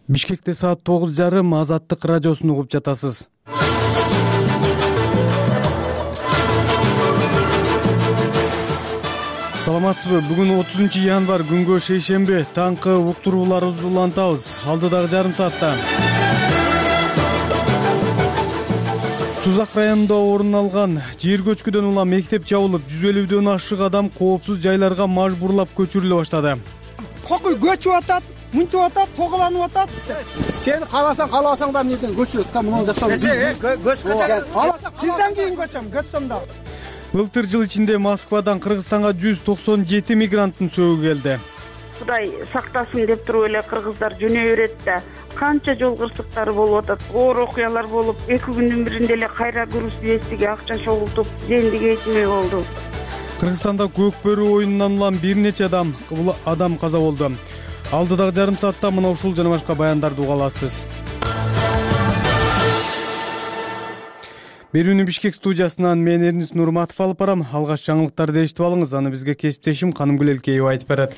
Бишкекте саат 9:30 Азаттык радиосун угуп жатасыз. Саламатсызбы? Бүгүн 30 январь күнгө шейшемби. Таңкы уктурууларыбызды улантабыз. Алдыдагы жарым саатта Сузак районунда орун алган жер көчкүдөн улам мектеп жабылып, 150дөн ашык адам коопсуз жайларга мажбурлап көчүрүлө баштады. Кокуй көчүп атат, мынтип атат, тоголанып атат. Сен кааласаң да эмнеден көчүрөт да, муну жашоо. Сизден кийин көчөм да. Былтыр жыл ичинде Москвадан Кыргызстанга 197 мигранттын сөөгү келди. Кудай сактасын деп туруп эле кыргыздар жөнөй берет да. Канча жол кырсыктары болуп атат, оор окуялар болуп, 2 күндүн биринде эле кайра груз биестиге акча чогултуп, зендиге этмей болду. Кыргызстанда көкбөрү оюнунан улам бир нече адам каза болду. Алдыдагы жарым саатта мына ушул жана башка баяндарды уга аласыз. Берүүнү Бишкек студиясынан мен Эрнис Нурматов алып барам. Алгач жаңылыктарды эшитип алыңыз, аны бизге кесиптешим Канымгүл Элкеева айтып берет.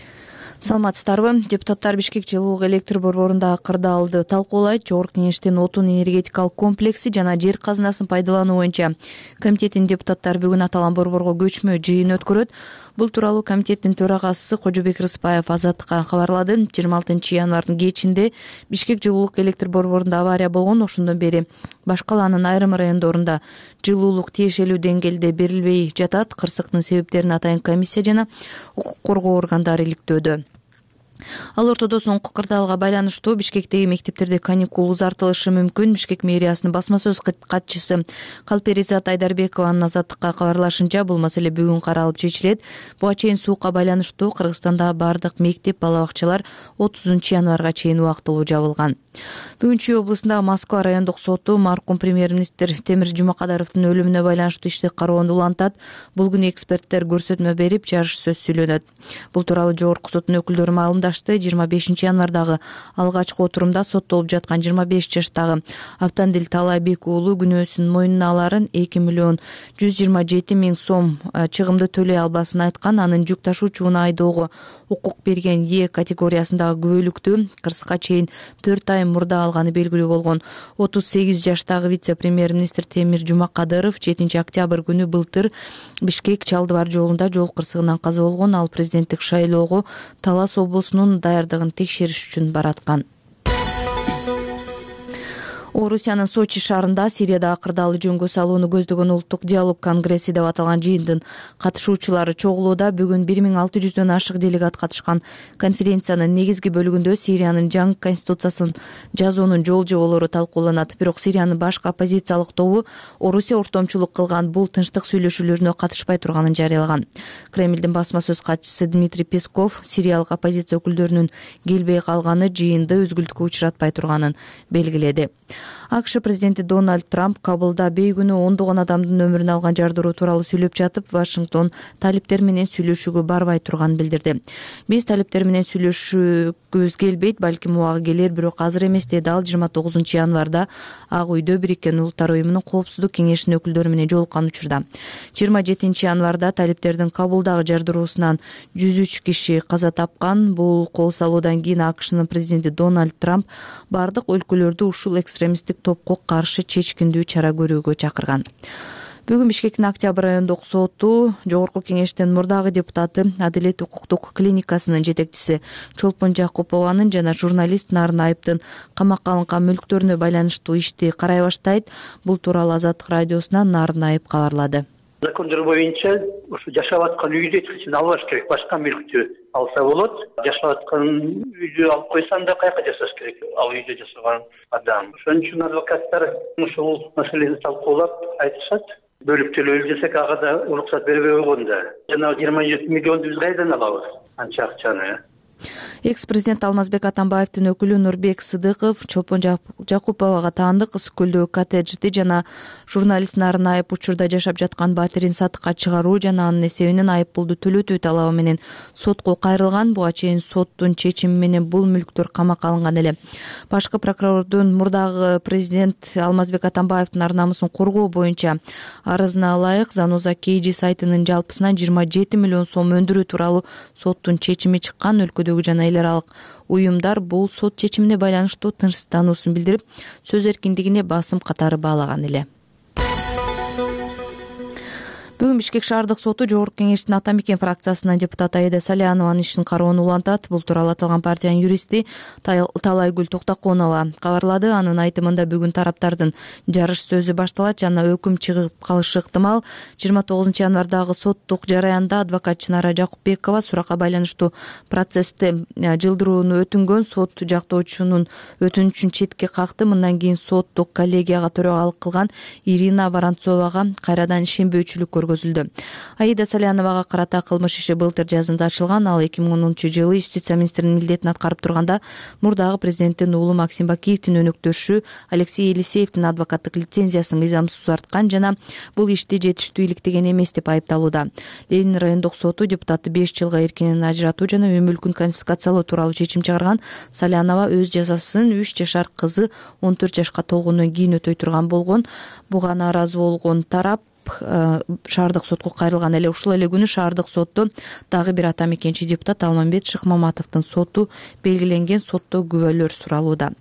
Саламатсыздарбы? Депутаттар Бишкек жылуулук электр борборунда кырдаалды талкуулайт. Жогорку кеңештин отун энергетикалык комплекси жана жер казынасын пайдалануу боюнча комитеттин депутаттары бүгүн аталган борборго көчмө жыйын өткөрөт. Бул тууралуу комитеттин төрагасы Кожобек Рыспаев Азаттыкка кабарлады. 26 январдын кечинде Бишкек жылуулук электр борборунда авария болгон. Ошондон бери баш калаанын айрым райондорунда жылуулук тиешелүү деңгээлде берилбей жатат. Кырсыктын себептерин атайын комиссия жана укук коргоо органдары иликтөөдө. Ал ортодо соңку кырдаалга байланыштуу Бишкектеги мектептерде каникул узартылышы мүмкүн. Бишкек мэриясынын басма сөз катчысы Калперизат Айдарбекованын Азаттыкка кабарлашынча, бул маселе бүгүн каралып чечилет. Буга чейин суукка байланыштуу Кыргызстанда бардык мектеп, бала бакчалар 30 январга чейин убактылуу жабылган. Бүгүн Чүй облусундагы Москва райондук соту маркум премьер-министр Темир Жумакадаровдун өлүмүнө байланыштуу ишти кароону улантат. Бул күнү эксперттер көрсөтмө берип, жарыш сөз сүйлөнөт. Бул тууралуу жогорку соттун өкүлдөрү маалымдашты. 25 январдагы алгачкы отурумда соттолуп жаткан 25 жаштагы Автандил Талайбек уулу күнөөсүн мойнуна аларын 2 миллион 127 миң сом чыгымды төлөй албасын айткан. Анын жүк ташуучуна айдоого укук берген Е категориясындагы күбөлүктү кырсыкка чейин 4 ай мурда алганы белгилүү болгон. 38 жаштагы вице-премьер-министр Темир Жумакадыров 7 октябрь күнү былтыр Бишкек Чалдыбар жолунда жол кырсыгынан каза болгон. Ал президенттик шайлоого Талас облусунун даярдыгын текшериш үчүн бараткан. Орусиянын Сочи шаарында Сириядагы кырдаалды жөнгө салууну көздөгөн улуттук диалог конгресси деп аталган жыйындын катышуучулары чогулууда. Бүгүн 1600дөн ашык делегат катышкан конференциянын негизги бөлүгүндө Сириянын жаңы конституциясын жазуунун жол жоболору талкууланат. Бирок Сириянын башкы оппозициялык тобу Орусия ортомчулук кылган бул тынчтык сүйлөшүүлөрүнө катышпай турганын жарыялаган. Кремлдин басма сөз катчысы Дмитрий Песков сириялык оппозиция өкүлдөрүнүн келбей калганы жыйынды өзгүлтүккө учуратпай турганын белгиледи. АКШ президенти Дональд Трамп Кабылда бейгүнү ондогон адамдын өмүрүн алган жардыруу тууралуу сүйлөп жатып, Вашингтон талиптер менен сүйлөшүүгө барбай турганын билдирди. Биз талиптер менен сүйлөшүүбүз келбейт, балким убагы келер, бирок азыр эмес, деди ал. 29 январда Ак үйдө Бириккен Улуттар уюмунун коопсуздук кеңешинин өкүлдөрү менен жолуккан учурда. 27 январда талиптердин Кабылдагы жардыруусунан 103 киши каза тапкан. Бул кол салуудан кийин АКШнын президенти Дональд Трамп бардык өлкөлөрдү ушул экстремисттик топко каршы чечкиндүү чара көрүүгө чакырган. Бүгүн Бишкектин Октябрь райондук соту жогорку кеңештин мурдагы депутаты, Адилет укуктук клиникасынын жетекчиси Чолпон Жакупованын жана журналист Нарын Айыптын камакка алынган мүлктөрүнө байланыштуу ишти карай баштайт. Бул тууралуу Азаттык радиосунан Нарын Айып кабарлады. Закондор боюнча ушу жашап аткан үйдү эч качан албаш керек, башка мүлктү алса болот. Жашап аткан үйдү алып койсоң да каяка жашаш керек, ал үйдө жашаган адам. Ошон үчүн адвокаттар ушул маселени талкуулап айтышат. Бөлүп төлөөлү десек, ага да уруксат бербей койгон да. Жана 27 миллионду биз кайдан алабыз? Анча акчаны. Экс-президент Алмазбек Атамбаевдин өкүлү Нурбек Сыдыков Чолпон Жакуповага таандык Ысык көлдөгү коттеджди жана журналист Нарын Айып учурда жашап жаткан батирин сатыкка чыгаруу жана анын эсебинен айып пулду төлөтүү талабы менен сотко кайрылган. Буга чейин соттун чечими менен бул мүлктөр камакка алынган эле. Башкы прокурордун мурдагы президент Алмазбек Атамбаевдин ар намысын коргоо боюнча арызына ылайык Заноза KG сайтынын жалпысынан 27 миллион сом өндүрүү тууралуу соттун чечими чыккан. Өлкөдө өлкөдөгү жана эл аралык уюмдар бул сот чечимине байланыштуу тынчсыздануусун билдирип, сөз эркиндигине басым катары баалаган эле. Бүгүн Бишкек шаардык соту Жогорку Кеңештин Ата Мекен фракциясынын депутаты Аида Салянованын ишин кароону улантат. Бул тууралуу аталган партиянын юристи Талайгүл Токтоконова кабарлады. Анын айтымында бүгүн тараптардын жарыш сөзү башталат жана өкүм чыгып калышы ыктымал. 29 январдагы соттук жараянда адвокат Чынара Жакупбекова суракка байланыштуу процессти жылдырууну өтүнгөн сот жактоочунун өтүнүчүн четке какты. Мындан кийин соттук коллегияга төрагалык кылган Ирина Воронцовага кайрадан ишенбөөчүлүк Аида Саляновага карата кылмыш иши былтыр жазында ачылган. Ал 2010 жылы юстиция министринин милдетин аткарып турганда мурдагы президенттин уулу Максим Бакиевдин өнөктөшү Алексей Елисеевдин адвокаттык лицензиясын мыйзамсыз узарткан жана бул ишти жетиштүү иликтеген эмес деп айыпталууда. Ленин райондук соту депутатты 5 жылга эркинен ажыратуу жана үй мүлкүн конфискациялоо тууралуу чечим чыгарган. Салянова өз жазасын 3 жашар кызы 14 жашка толгондон кийин өтөй турган болгон. Буга нааразы болгон тарап шаардык сотко кайрылган эле. Ушул эле күнү шаардык сотто дагы бир ата мекенчи депутат Алмамбет Шыкмаматовдун соту белгиленген. Сотто күбөлөр суралууда.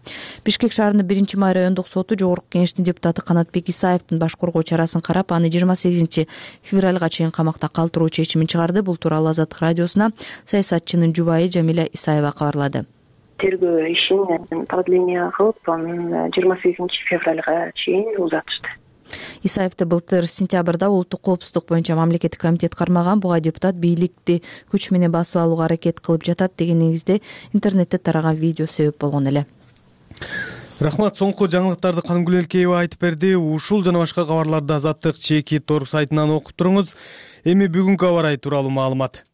Бишкек шаарынын 1-май райондук соту Жогорку Кеңештин депутаты Канатбек Исаевдин баш коргоо чарасын карап, аны 28 февралга чейин камакта калтыруу чечимин чыгарды. Бул тууралуу Азаттык радиосуна саясатчынын жубайы Жамиля Исаева кабарлады. Тергөө ишин продление кылып, анын 28 февралга чейин узатышты. Исаевди былтыр сентябрда улуттук коопсуздук боюнча мамлекеттик комитет кармаган. Буга депутат бийликти күч менен басып алууга аракет кылып жатат деген негизде интернетте тараган видео себеп болгон эле. Рахмат, соңку жаңылыктарды Канымгүл Элкеева айтып берди. Ушул жана башка кабарларды Азаттык чеки торг сайтынан окуп туруңуз. Эми бүгүнкү аба ырайы тууралуу маалымат.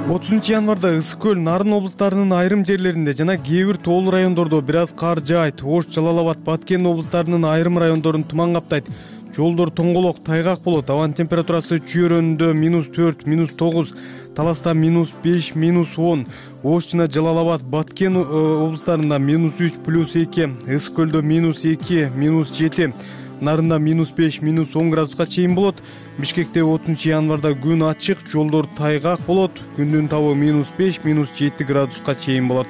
30 январда Ысык көл, Нарын облустарынын айрым жерлеринде жана кээ бир тоолуу райондордо бир аз кар жаайт. Ош, Жалал Абад, Баткен облустарынын айрым райондорун туман каптайт. Жолдор тоңголок, тайгак болот. Абанын температурасы Чүйөрөндө -4, -9, Таласта -5, -10. Ош жана Жалал Абад, Баткен облустарында -3, +2, Ысык көлдө -2, -7. Нарында -5, -10 градуска чейин болот. Бишкекте 30 январда күн ачык, жолдор тайгак болот. Күндүн табы -5, -7 градуска чейин болот.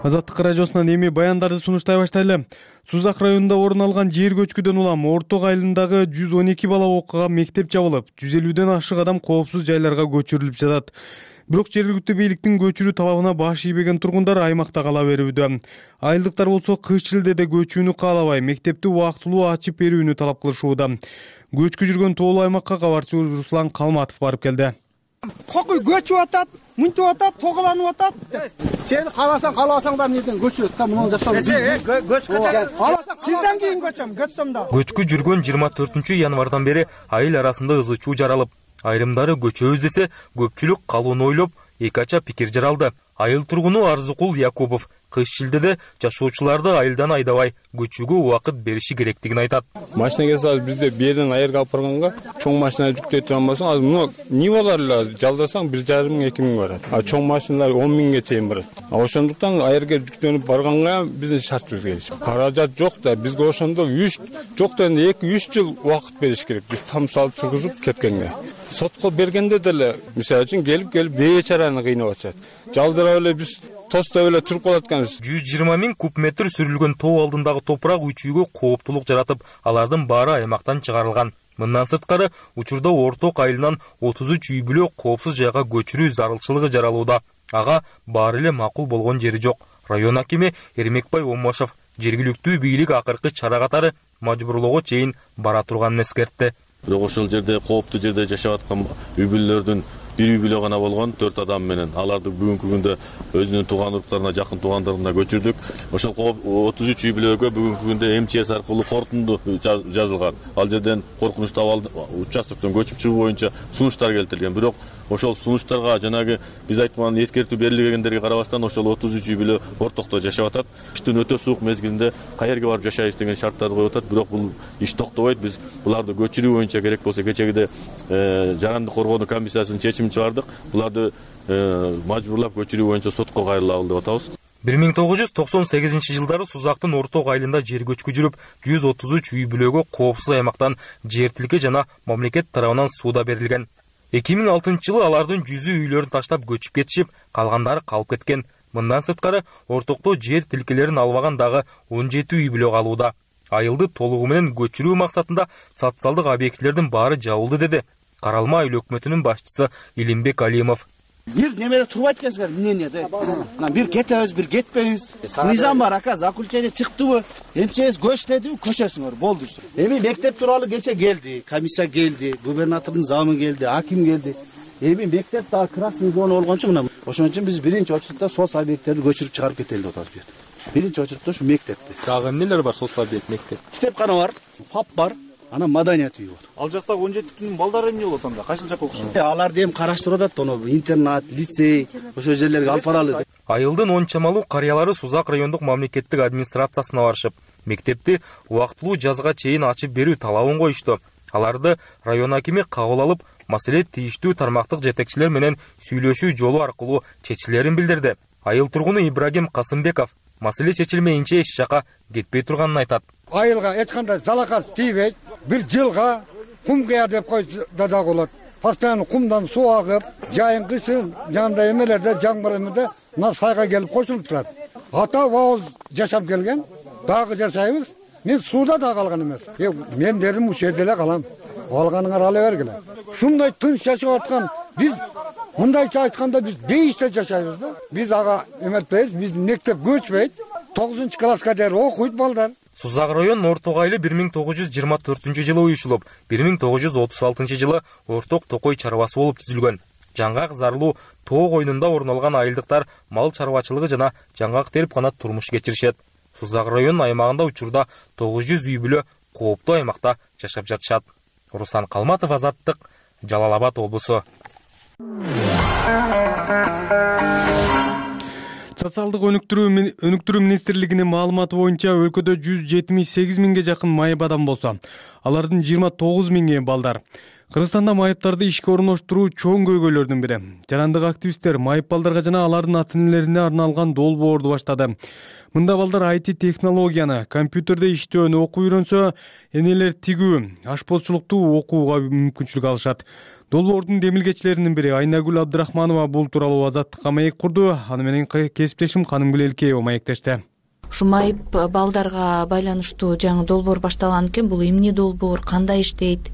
Азаттык радиосунан эми баяндарды сунуштай баштайлы. Сузак районунда орун алган жер көчкүдөн улам Орток айылындагы 112 бала окуган мектеп жабылып, 150ден ашык адам коопсуз жайларга көчүрүлүп жатат. Бирок жергиликтүү бийликтин көчүрүү талабына баш ийбеген тургундар аймакта кала берүүдө. Айылдыктар болсо кыш жылдеде көчүүнү каалабай, мектепти убактылуу ачып берүүнү талап кылышууда. Көчкү жүргөн тоолуу аймакка кабарчы Руслан Калматов барып келди. Кокуй көчүп атат, мынтип атат, тоголанып атат. Сен кааласаң да менден көчүрөт да, муну жашоо. Сизден кийин көчөм да. Көчкү жүргөн 24 январдан бери айыл арасында ызы чуу жаралып, айрымдары көчөбүз десе, көпчүлүк калууну ойлоп, эки ача пикир жаралды. Айыл тургуну Арзыкул Якупов кыш жылдеде жашоочуларды айылдан айдабай көчүүгө убакыт бериши керектигин айтат. Машина келсе азыр бизде берден айырга алып барганга чоң машина жүктөй турган болсоң, азыр муну Нивалар жалдасаң 1,5 миң 2 миң барат. А чоң машиналар 10 миңге чейин барат. Ошондуктан айырга жүктөнүп барганга биздин шартыбыз келишип. Каражат жок да, бизге ошондо 3 жок да 2-3 жыл убакыт бериш керек. Биз там салып тургузуп кеткенге. Сотко бергенде деле, мисалы үчүн келип бейчараны кыйнап атышат. Жалдырап эле биз тостой эле туруп калат экенбиз. 120 миң куб метр сүрүлгөн тоо алдындагы топурак үчүүгө кооптулук жаратып, алардын баары аймактан чыгарылган. Мындан сырткары, учурда Орток айылынан 33 үй бүлө коопсуз жайга көчүрүү зарылчылыгы жаралууда. Ага баары эле макул болгон жери жок. Район акими Эрмекбай Омошов жергиликтүү бийлик акыркы чара катары мажбурлоого чейин бара турганын эскертти. Бирок ошол жерде кооптуу жерде жашап аткан үй бүлөлөрдүн бир үй бүлө гана болгон 4 адам менен аларды бүгүнкү күндө өзүнүн тууган уруктарына, жакын туугандарына көчүрдүк. Ошол 33 үй бүлөгө бүгүнкү күндө МЧС аркылуу корутунду жазылган. Ал жерден коркунучтуу участоктон көчүп чыгуу боюнча сунуштар келтирилген. Бирок ошол сунуштарга жанагы биз айткан эскертүү берилгендерге карабастан ошол 33 үй бүлө ортокто жашап атат. Кыштын өтө суук мезгилинде каерге барып жашайбыз деген шарттарды коюп атат. Бирок бул иш токтобойт. Биз буларды көчүрүү боюнча керек болсо кечегиде жарандык коргоонуу комиссиясынын чечимин чыгардык. Буларды мажбурлап көчүрүү боюнча сотко кайрылабыл деп атабыз. 1998-жылдары Сузактын Орток айылында жер көчкү жүрүп, 133 үй бүлөгө коопсуз аймактан жер тилке жана мамлекет тарабынан сууда берилген. 2006-жылы алардын 100 үйлөрүн таштап көчүп кетишип, калгандары калып кеткен. Мындан сырткары ортокто жер тилкелерин албаган дагы 17 үй бүлө калууда. Айылды толугу менен көчүрүү максатында социалдык объектилердин баары жабылды, деди Каралма айыл өкмөтүнүн башчысы Илимбек Алимов. Бир немеде турбайт экенсиңер, мнениеде. Бир кетебиз, бир кетпейбиз. Мыйзам бар, ака, заключение чыктыбы? Эмчеңиз көчтедиби, көчөсүңөр, болду. Эми мектеп тууралуу кече келди, комиссия келди, губернатордун замы келди, аким келди. Эми мектеп дагы красный зона болгон үчүн мына ошон үчүн биз биринчи очередте соц объекттерди көчүрүп чыгарып кетели деп атабыз. Биринчи очередте ушу мектепти. Дагы эмнелер бар соц объект мектеп? Китепкана бар, ФАП бар. Анан маданият үйү бар. Ал жактагы 17 түнүн балдары эмне болот анда? Кайсыл жакка окушат? Аларды эми караштырып атат, оно интернат, лицей, ошол жерлерге алып баралы. Айылдын 10 чамалуу карыялары Сузак райондук мамлекеттик администрациясына барышып, мектепти убактылуу жазга чейин ачып берүү талабын коюшту. Аларды район акими кабыл алып, маселе тийиштүү тармактык жетекчилер менен сүйлөшүү жолу аркылуу чечилерин билдирди. Айыл тургуну Ибрагим Касымбеков маселе чечилмейинче эч жака кетпей турганын айтат. Айылга эч кандай залакат тийбейт. Бир жылга кум кыя деп койсо да болот. Постоянно кумдан суу агып, жайын кышын жандай эмелерде жаңбыр эмеде мына сайга келип кошулуп турат. Ата бабабыз жашап келген, дагы жашайбыз. Мен сууда да калган эмес. Мен дедим ушул жерде эле калам. Алганыңар ала бергиле. Ушундай тынч жашап аткан биз мындайча айтканда биз бейиште жашайбыз да. Биз ага эметпейбиз, биз мектеп көчпөйт. 9-класска дейин окуйт балдар. Сузак район Орток айылы 1924-жылы уюшулуп, 1936-жылы Орток Токой чарбасы болуп түзүлгөн. Жаңгак зарлуу тоо койнунда орун алган айылдыктар мал чарбачылыгы жана жаңгак терип гана турмуш кечиришет. Сузак район аймагында учурда 900 үй бүлө кооптуу аймакта жашап жатышат. Руслан Калматов, Азаттык, Жалал Абад облусу. Социалдык өнүктүрүү министрлигинин маалыматы боюнча өлкөдө 178 миңге жакын майып адам болсо, алардын 29 миңи балдар. Кыргызстанда майыптарды ишке орноштуруу чоң көйгөйлөрдүн бири. Жарандык активисттер майып балдарга жана алардын ата-энелерине арналган долбоорду баштады. Мында балдар IT технологияны, компьютерде иштөөнү окуп үйрөнсө, энелер тигүү, ашпозчулукту окууга мүмкүнчүлүк алышат. Долбоордун демилгечилеринин бири Айнагүл Абдрахманова бул тууралуу Азаттыкка маек курду. Аны менен кесиптешим Канымгүл Элкеева маектешти. Ушу майып балдарга байланыштуу жаңы долбоор башталган экен. Бул эмне долбоор, кандай иштейт?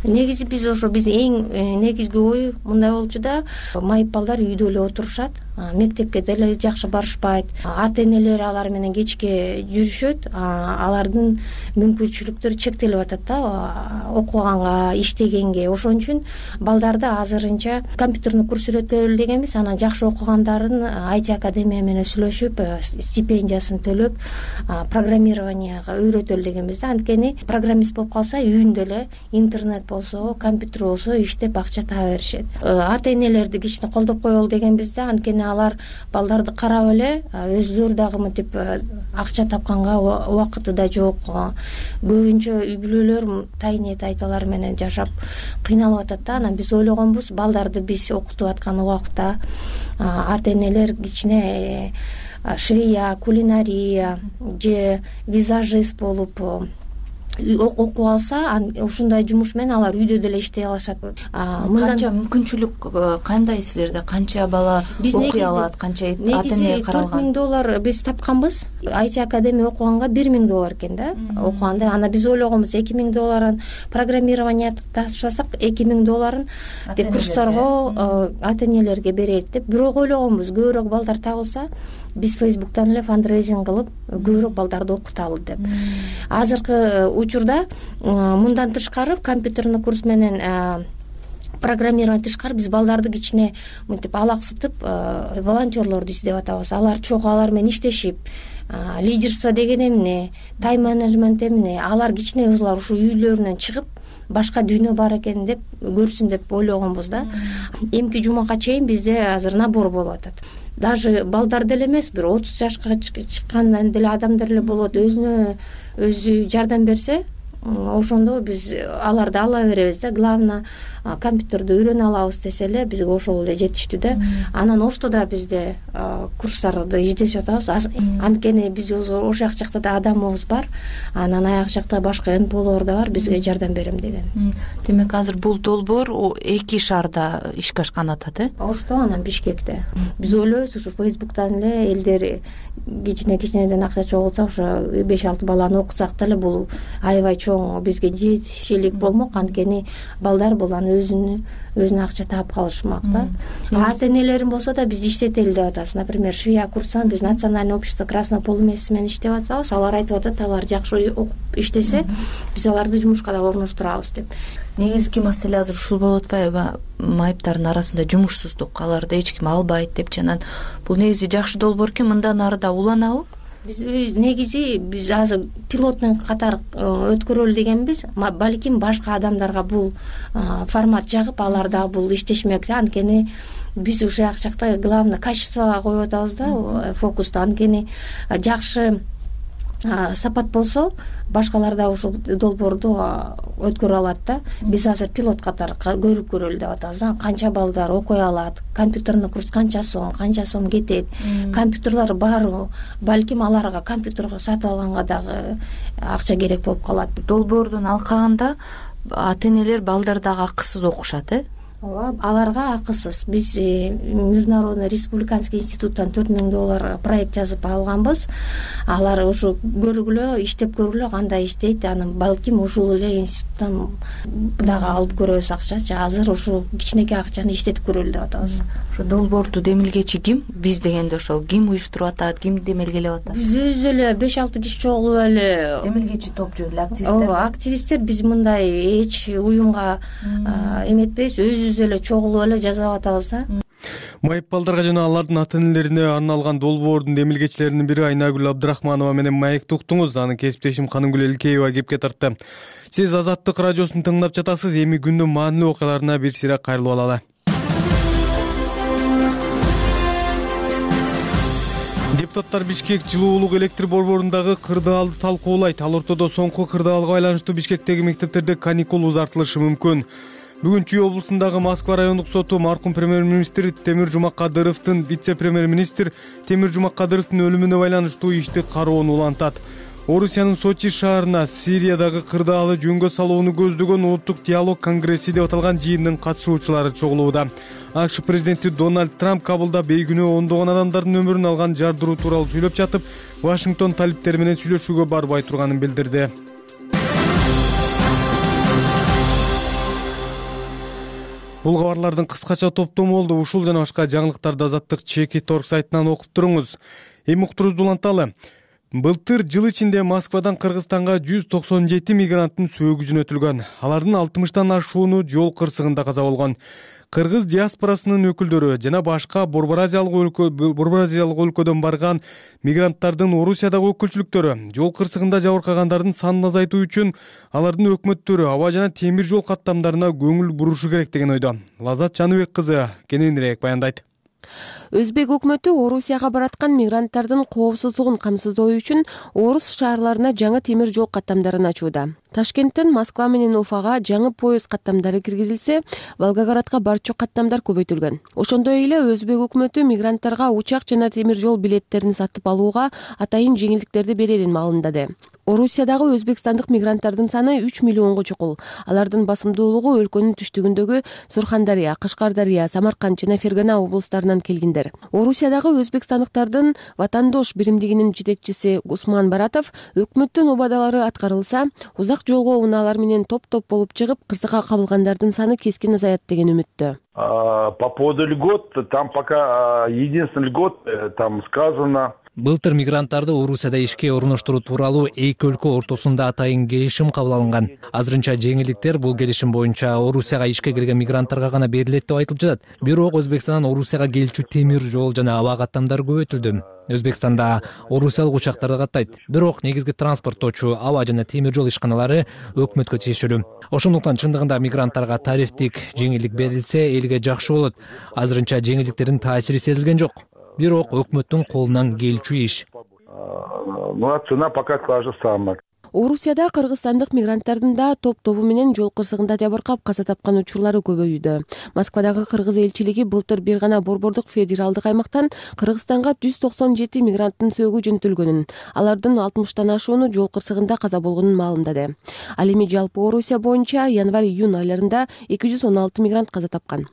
Негизи биз эң негизги ою мындай болчу да, майып балдар үйдө эле отурушат, мектепке деле жакшы барышпайт, ата-энелери алар менен кечке жүрүшөт, алардын мүмкүнчүлүктөрү чектелип атат да, окуганга, иштегенге. Ошон үчүн балдарды азырынча компьютерный курс үйрөтөлү дегенбиз. Анан жакшы окугандарын IT академия менен сүйлөшүп, стипендиясын төлөп, программированияга үйрөтөлү дегенбиз да. Анткени программист болуп калса үйүндө эле интернет болсо, компьютер болсо иштеп акча таба беришет. Ата-энелерди кичине колдоп коелу дегенбиз да. Анткени алар балдарды карап эле өздөрү дагы мынтип акча тапканга убакыты да жок. Көбүнчө үй бүлөлөр тайнет айталар менен жашап кыйналып атат да. Анан биз ойлогонбуз, балдарды биз окутуп аткан убакта ата-энелер кичине швея, кулинария же визажист болуп окуп алса, ушундай жумуш менен алар үйдө деле иштей алышат. Канча мүмкүнчүлүк, кандай силерде канча бала окуй алат, канча ата-эне каралган? $4,000 биз тапканбыз. IT академия окуганга $1,000 экен да, окуганда. Ана биз ойлогонбуз $2,000 программирование таштасак, $2,000 курстарга ата-энелерге берейик деп. Бирок ойлогонбуз, көбүрөөк балдар табылса, биз Facebook'тан эле фандрейзинг кылып көбүрөөк балдарды окуталы деп. Азыркы учурда мындан тышкары компьютерный курс менен программирование тышкары биз балдарды кичине мынтип алаксытып волонтерлорду издеп атабыз. Алар чогуу алар менен иштешип, лидерство деген эмне, тайм-менеджмент эмне, алар кичине улар ушу үйлөрүнөн чыгып башка дүйнө бар экен деп көрсүн деп ойлогонбуз да. Эмки жумага чейин бизде азыр набор болуп атат. Даже балдар деле эмес, бир 30 жашка чыккан деле адамдар эле болот. Өзүнө өзү жардам берсе, ошондо биз аларды ала беребиз да. Главное компьютерди үйрөнө алабыз десе эле бизге ошол эле жетиштүү да. Анан Оштуда бизде курстарды издешип атабыз. Анткени биз ошол жакта да адамыбыз бар. Анан аяк жакта башка НПОлор да бар, бизге жардам берем деген. Демек азыр бул долбоор 2 шаарда ишке ашкан атат, Ошто анан Бишкекте. Биз ойлойбуз ушу Фейсбуктан эле элдер кичинеден акча чогултса, ошо 5-6 баланы окутсак деле бул аябай чоң бизге жетишилик болмок. Анткени балдар бул аны өзүнө акча таап калышмак да. Ата-энелерин болсо да биз иштетели деп атабыз. Например, швея курсан биз Национальное общество Красного полумесяца менен иштеп атабыз. Алар айтып атат, алар жакшы окуп иштесе, биз аларды жумушка да орноштурабыз деп. Негизги маселе азыр ушул болуп атпайбы? Майыптардын арасында жумушсуздук, аларды эч ким албайт деп. Анан бул негизи жакшы долбоор экен, мындан ары да уланабы? Биз азыр пилотный катары өткөрөлү дегенбиз. Балким башка адамдарга бул формат жагып, алар да бул иштешмек. Анткени биз ушул жакта главное качествого коюп атабыз да, фокусту. Анткени жакшы сапат болсо, башкалар да ушул долбоорду өткөрө алат да. Биз азыр пилот катары көрүп көрөлү деп атабыз. Канча балдар окуй алат, компьютерный курс канча сом кетет, компьютерлар баары, балким аларга компьютерге сатып алганга дагы акча керек болуп калат. Долбоордун алкагында ата-энелер балдар дагы акысыз окушат, Ооба, аларга акысыз. Биз Международный республиканский институттан $4000 проект жазып алганбыз. Алар ушу көргүлө, иштеп көргүлө кандай иштейт. Анан балким ушул эле институттан дагы алып көрөбүз акчачы. Азыр ушу кичинекей акчаны иштетип көрөлү деп атабыз. Ушу долбоорду демилгечи ким? Биз дегенде ошол ким уюштуруп атат, ким демелгелеп атат? Биз өзү эле 5-6 киши чогулуп эле. Демилгечи топ жөн эле активисттер. Ооба, активисттер биз мындай эч уюмга эметпейбиз, өзүбүз эле чогулуп эле жазып атабыз да. Майып балдарга жана алардын ата-энелерине арналган долбоордун демилгечилеринин бири Айнагүл Абдрахманова менен маекти уктуңуз. Анын кесиптешим Канымгүл Элкеева кепке тартты. Сиз Азаттык радиосун тыңдап жатасыз. Эми күндүн маанилүү окуяларына бир сыйра кайрылып алалы. Депутаттар Бишкек жылуулук электр борборундагы кырдаалды талкуулайт. Ал ортодо соңку кырдаалга байланыштуу Бишкектеги мектептерде каникул узартылышы мүмкүн. Бүгүн Чүй облусундагы Москва райондук соту маркум премьер-министр Темир Жумаккадыровдун вице-премьер-министр Темир Жумаккадыровдун өлүмүнө байланыштуу ишти кароонун улантат. Орусиянын Сочи шаарына Сириядагы кырдаалы жөнгө салууну көздөгөн улуттук диалог конгресси деп аталган жыйындын катышуучулары чогулууда. АКШ президенти Дональд Трамп Кабулда бейгүнөө ондогон адамдардын өмүрүн алган жардыруу тууралуу сүйлөп жатып, Вашингтон талиптери менен сүйлөшүүгө барбай турганын билдирди. Бул кабарлардын кыскача топтому болду. Ушул жана башка жаңылыктарды Азаттык Чеки.org сайтынан окуп туруңуз. Эми уктурубузду уланталы. Былтыр жыл ичинде Москвадан Кыргызстанга 197 мигранттын сөөгү жөнөтүлгөн. Алардын 60тан ашууну жол кырсыгында каза болгон. Кыргыз диаспорасынын өкүлдөрү жана башка Борбор-Азиялык өлкөдөн барган мигранттардын Орусиядагы өкүлчүлүктөрү жол кырсыгында жабыркагандардын санын азайтуу үчүн алардын өкмөттөрү аба жана темир жол каттамдарына көңүл бурушу керек деген ойдо. Лазат Жаныбек кызы кененирээк баяндайт. Өзбек өкмөтү Орусияга бараткан мигранттардын коопсуздугун камсыздоо үчүн орус шаарларына жаңы темир жол каттамдарын ачууда. Ташкенттен Москва менен Уфага жаңы поезд каттамдары киргизилсе, Волгоградка барчу каттамдар көбөйтүлгөн. Ошондой эле Өзбек өкмөтү мигранттарга учак жана темир жол билеттерин сатып алууга атайын жеңилдиктерди берерин маалымдады. Орусиядагы өзбекстандык мигранттардын саны 3 миллионго чукул. Алардын басымдуулугу өлкөнүн түштүгүндөгү Сурхандария, Кашкардария, Самарканд жана Фергана облустарынан келгендер. Орусиядагы өзбекстандыктардын Ватандош биримдигинин жетекчиси Усман Баратов өкмөттүн убадалары аткарылса, узак жолго унаалар менен топ-топ болуп чыгып, кырсыкка кабылгандардын саны кескин азаят деген үмүттө. По поводу льгот, там пока единственный льгот, там сказано. Былтыр мигранттарды Орусияда ишке орноштуруу тууралуу эки өлкө ортосунда атайын келишим кабыл алынган. Азырынча жеңилдиктер бул келишим боюнча Орусияга ишке келген мигранттарга гана берилет деп айтылып жатат. Бирок Өзбекстандан Орусияга келчү темир жол жана аба каттамдары көбөйтүлдү. Өзбекстанда орусиялык учактарды каттайт. Бирок негизги транспорттоочу аба жана темир жол ишканалары өкмөткө тиешелүү. Ошондуктан чындыгында мигранттарга тарифтик жеңилдик берилсе, элге жакшы болот. Азырынча жеңилдиктердин таасири сезилген жок. Бирок өкмөттүн колунан келчү иш. Ну, цена пока та же самая. Орусияда кыргызстандык мигранттардын да топ-тобу менен жол кырсыгында жабыркап каза тапкан учурлары көбөйүүдө. Москвадагы кыргыз элчилиги былтыр бир гана Борбордук федералдык аймактан Кыргызстанга 197 мигранттын сөөгү жөнөтүлгөнүн, алардын 60тан ашууну жол кырсыгында каза болгонун маалымдады. Ал эми жалпы Орусия боюнча январь-июнь айларында 216 мигрант каза тапкан.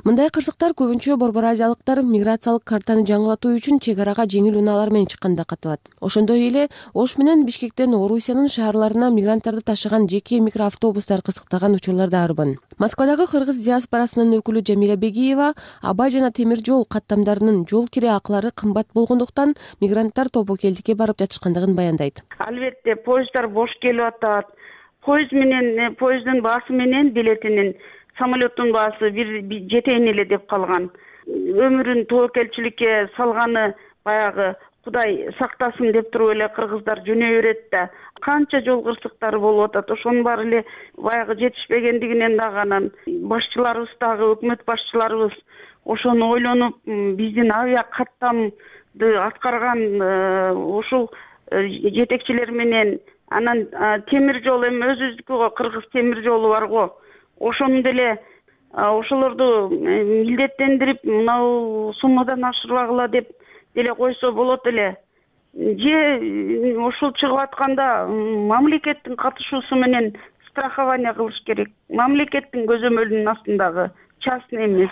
Мындай кырсыктар көбүнчө Борбор Азиялыктар миграциялык картаны жаңылатуу үчүн чек арага жеңил унаалар менен чыкканда катталат. Ошондой эле Ош менен Бишкектен Орусиянын шаарларына мигранттарды ташыган жеке микроавтобустар кырсыктаган учурлар да арбын. Москвадагы кыргыз диаспорасынын өкүлү Жамиля Бегиева аба жана темир жол каттамдарынын жол кире акылары кымбат болгондуктан мигранттар Тобокелдикке барып жатышкандыгын баяндайт. Албетте поезддар бош келип атат. Поезддин баасы менен билетинин, самолеттун баасы бир жетейин эле деп калган. Өмүрүн тобокелчиликке салганы баягы Кудай сактасын деп туруп эле кыргыздар жөнөй берет да. Канча жол кырсыктары болуп атат. Ошонун баары эле баягы жетишпегендигинен дагы анан башчыларыбыз дагы өкмөт башчыларыбыз ошону ойлонуп биздин авиа каттамды аткарган ушул жетекчилер менен анан темир жол эми өзүбүздүкү го, кыргыз темир жолу бар го. Ошону деле ошолорду милдеттендирип мынау суммадан ашырбагыла деп деле койсо болот эле. Же ушул чыгып атканда мамлекеттин катышуусу менен страхование кылыш керек. Мамлекеттин көзөмөлүнүн астындагы, частный эмес.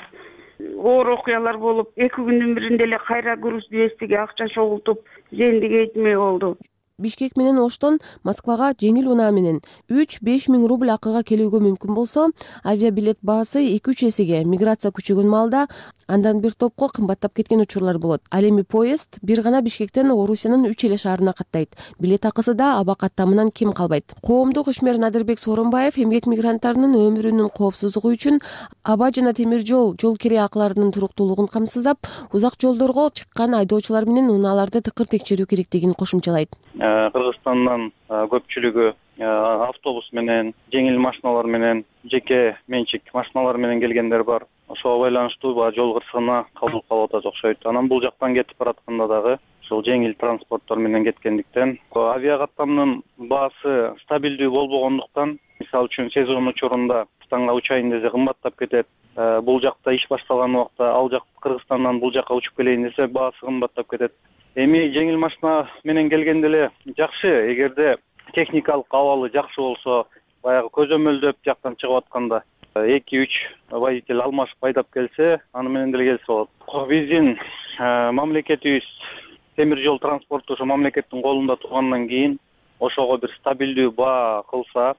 Оор окуялар болуп, 2 күндүн биринде эле кайра груз двестиге акча чогултуп, зендиге этмей болду. Бишкек менен Оштон Москвага жеңил унаа менен 3-5 миң рубль акыга келүүгө мүмкүн болсо, авиабилет баасы 2-3 эсеге, миграция күчөгөн маалда андан бир топко кымбаттап кеткен учурлар болот. Ал эми поезд бир гана Бишкектен Орусиянын 3 эле шаарына каттайт. Билет акысы да аба каттамынан кем калбайт. Коомдук ишмер Надырбек Сооронбаев эмгек мигранттарынын өмүрүнүн коопсуздугу үчүн аба жана темир жол кире акыларынын туруктуулугун камсыздап, узак жолдорго чыккан айдоочулар менен унааларды тыкыр текшерүү керектигин кошумчалайт. Кыргызстандын көпчүлүгү автобус менен, жеңил машиналар менен, жеке менчик машиналар менен келгендер бар. Ошого байланыштуу жол кырсыгына кабыл калып атат окшойт. Анан бул жактан кетип баратканда дагы ушул жеңил транспорттор менен кеткендиктен авиа каттамдын баасы стабилдүү болбогондуктан, мисалы үчүн сезон учурунда Кыргызстанга учайын десе кымбаттап кетет. Бул жакта иш башталган убакта ал жак Кыргызстандан бул жакка учуп келейин десе баасы кымбаттап кетет. Эми жеңил машина менен келгенде эле жакшы, эгерде техникалык абалы жакшы болсо, баягы көзөмөлдөп жактан чыгып атканда 2-3 водитель алмашып айдап келсе, аны менен деле келсе болот. Биздин мамлекетибиз темир жол транспорту ошо мамлекеттин колунда тургандан кийин ошого бир стабилдүү баа кылса,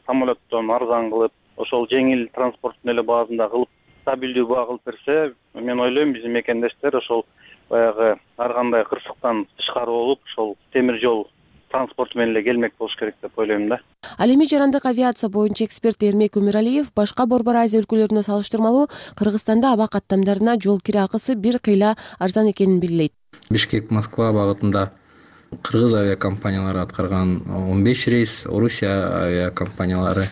самолеттон арзан кылып, ошол жеңил транспорттун эле баасында кылып, стабилдүү баа кылып берсе, мен ойлойм биздин мекендештер ошол баягы ар кандай кырсыктан тышкары болуп, ошол темир жол транспорту менен эле келмек болуш керек деп ойлойм да. Ал эми жарандык авиация боюнча эксперт Эрмек Өмүралиев башка Борбор Азия өлкөлөрүнө салыштырмалуу Кыргызстанда аба каттамдарына жол кире акысы бир кыйла арзан экенин белгилейт. Бишкек-Москва багытында кыргыз авиакомпаниялары аткарган 15 рейс, Орусия авиакомпаниялары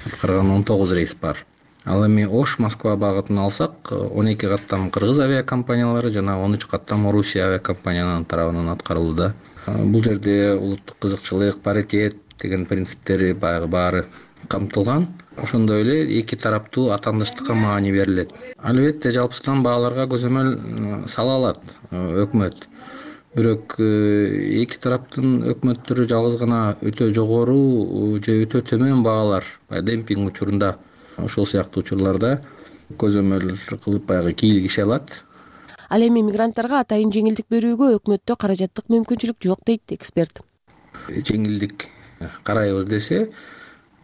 аткарган 19 рейс бар. Ал эми Ош-Москва багытын алсак, 12 каттам кыргыз авиакомпаниялары жана 13 каттам Орусия авиакомпанияларынын тарабынан аткарылды. Бул жерде улуттук кызыкчылык, паритет деген принциптери баары камтылган. Ошондой эле эки тараптуу атаандыштыкка маани берилет. Албетте жалпысынан бааларга көзөмөл сала алат өкмөт. Бирок эки тараптын өкмөттөрү жалгыз гана өтө жогору же өтө төмөн баалар, демпинг учурунда ошол сыяктуу учурларда көзөмөл кылып баягы кийлигише алат. Ал эми мигранттарга атайын жеңилдик берүүгө өкмөттө каражаттык мүмкүнчүлүк жок дейт эксперт. Жеңилдик карайбыз десе,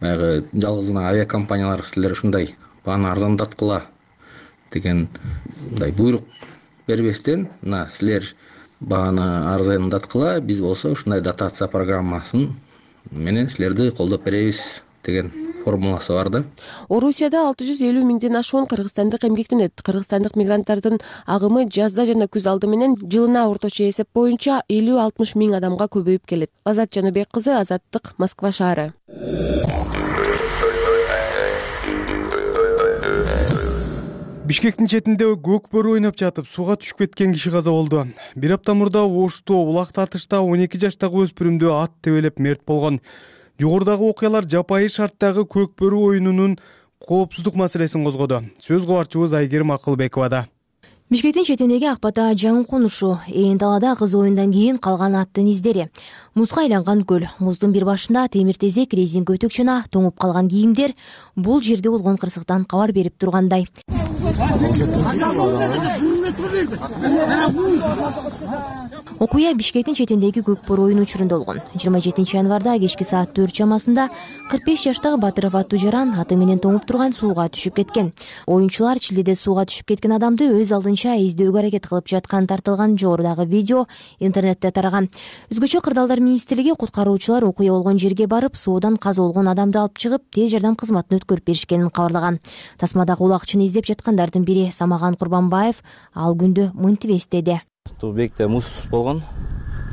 баягы жалгыз гана авиакомпаниялар силер ушундай бааны арзандаткыла деген мындай буйрук бербестен, мына силер бааны арзандаткыла, биз болсо ушундай дотация программасын менен силерди колдоп беребиз деген формуласы бар да. Орусияда 650 миңден ашуун кыргызстандык эмгектенет. Кыргызстандык мигранттардын агымы жазда жана күз алды менен жылына орточо эсеп боюнча 50-60 миң адамга көбөйүп келет. Азат Жаныбек кызы, Азаттык, Москва шаары. Бишкектин четинде көк бөрү ойноп жатып сууга түшүп кеткен киши каза болду. Бир апта мурда Ошто улак тартышта 12 жаштагы өспүрүмдү ат тебелеп мерт болгон. Жогорудагы окуялар жапайы шарттагы көк бөрү оюнунун коопсуздук маселесин козгоду. Сөз кубарчыбыз Айгерим Акылбековада. Бишкектин четиндеги Акбата жаңы конушу, ээн талада кыз оюндан кийин калган аттын издери. Музга айланган көл, муздун бир башында темир тезек, резинка өтүк жана тоңуп калган кийимдер бул жерде болгон кырсыктан кабар берип тургандай. Окуя Бишкектин четиндеги көк бөрү оюну учурунда болгон. 27 январда кечки саат 4 чамасында 45 жаштагы Батыров аттуу жаран аты менен тоңуп турган сууга түшүп кеткен. Оюнчулар чилдеде сууга түшүп кеткен адамды өз алдынча издөөгө аракет кылып жаткан тартылган жогорудагы видео интернетте тараган. Өзгөчө Кырдаалдар министрлиги куткаруучулар окуя болгон жерге барып, суудан каза болгон адамды алып чыгып, тез жардам кызматына өткөрүп беришкенин кабарлаган. Тасмадагы улакчыны издеп жаткандардын бири Самаган Курбанбаев ал күндү мынтип эстеди. Бекте муз болгон,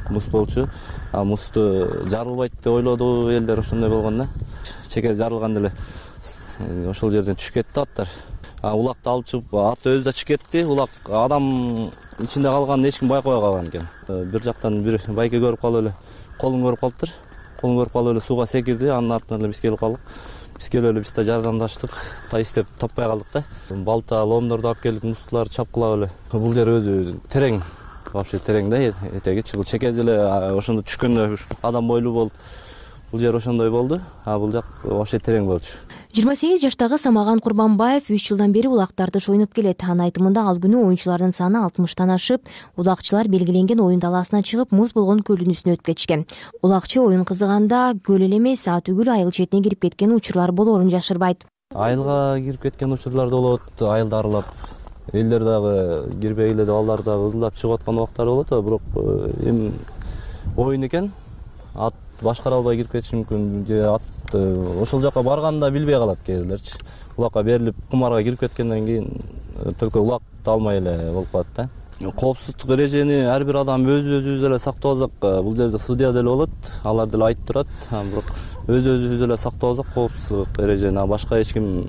муз болчу. Музду жарылбайт деп ойлоду элдер, ошондой болгон да. Чеке жарылганда эле ошол жерден түшүп кетти аттар. Улакты алып чыгып, ат өзү да чыгып кетти. Улак адам ичинде калганын эч ким байкабай калган экен. Бир жактан бир байке көрүп калып эле, колун көрүп калыптыр. Колун көрүп калып эле сууга секирди. Анын артынан эле биз келип калдык. Биз келип эле биз да жардамдаштык. Издеп таппай калдык да. Балта, ломдорду алып келип, музтуларды чапкылап эле. Бул жер өзү терең. Вообще терең да, этеги бул чекеси эле ошондо түшкөндө адам бойлуу болуп, бул жер ошондой болду. Бул жак вообще терең болчу. 28 жаштагы Самаган Курбанбаев 3 жылдан бери улактарды шойнуп келет. Анын айтымында ал күнү оюнчулардын саны 60тан ашып, улакчылар белгиленген оюн талаасына чыгып, муз болгон көлдүн үстүнө өтүп кетишкен. Улакчы оюн кызыганда көл эле эмес, түгүл айыл четине кирип кеткен учурлар болоорун жашырбайт. Айылга кирип кеткен учурлар да болот, айылды аралап. Элдер дагы кирбей эле балдар дагы ызылдап чыгып аткан убактар болот, бирок эми оюн экен, ат башкара албай кирип кетиши мүмкүн, же ат ошол жака барганда билбей калат кээделерчи. Улакка берилип кумарга кирип кеткенден кийин только улакты алмай эле болуп калат да. Коопсуздук эрежени ар бир адам өзүбүз эле сактап алсак, бул жерде судья деле болот, алар деле айтып турат, бирок өзүбүз эле сактап алсак коопсуздук эрежени башка эч ким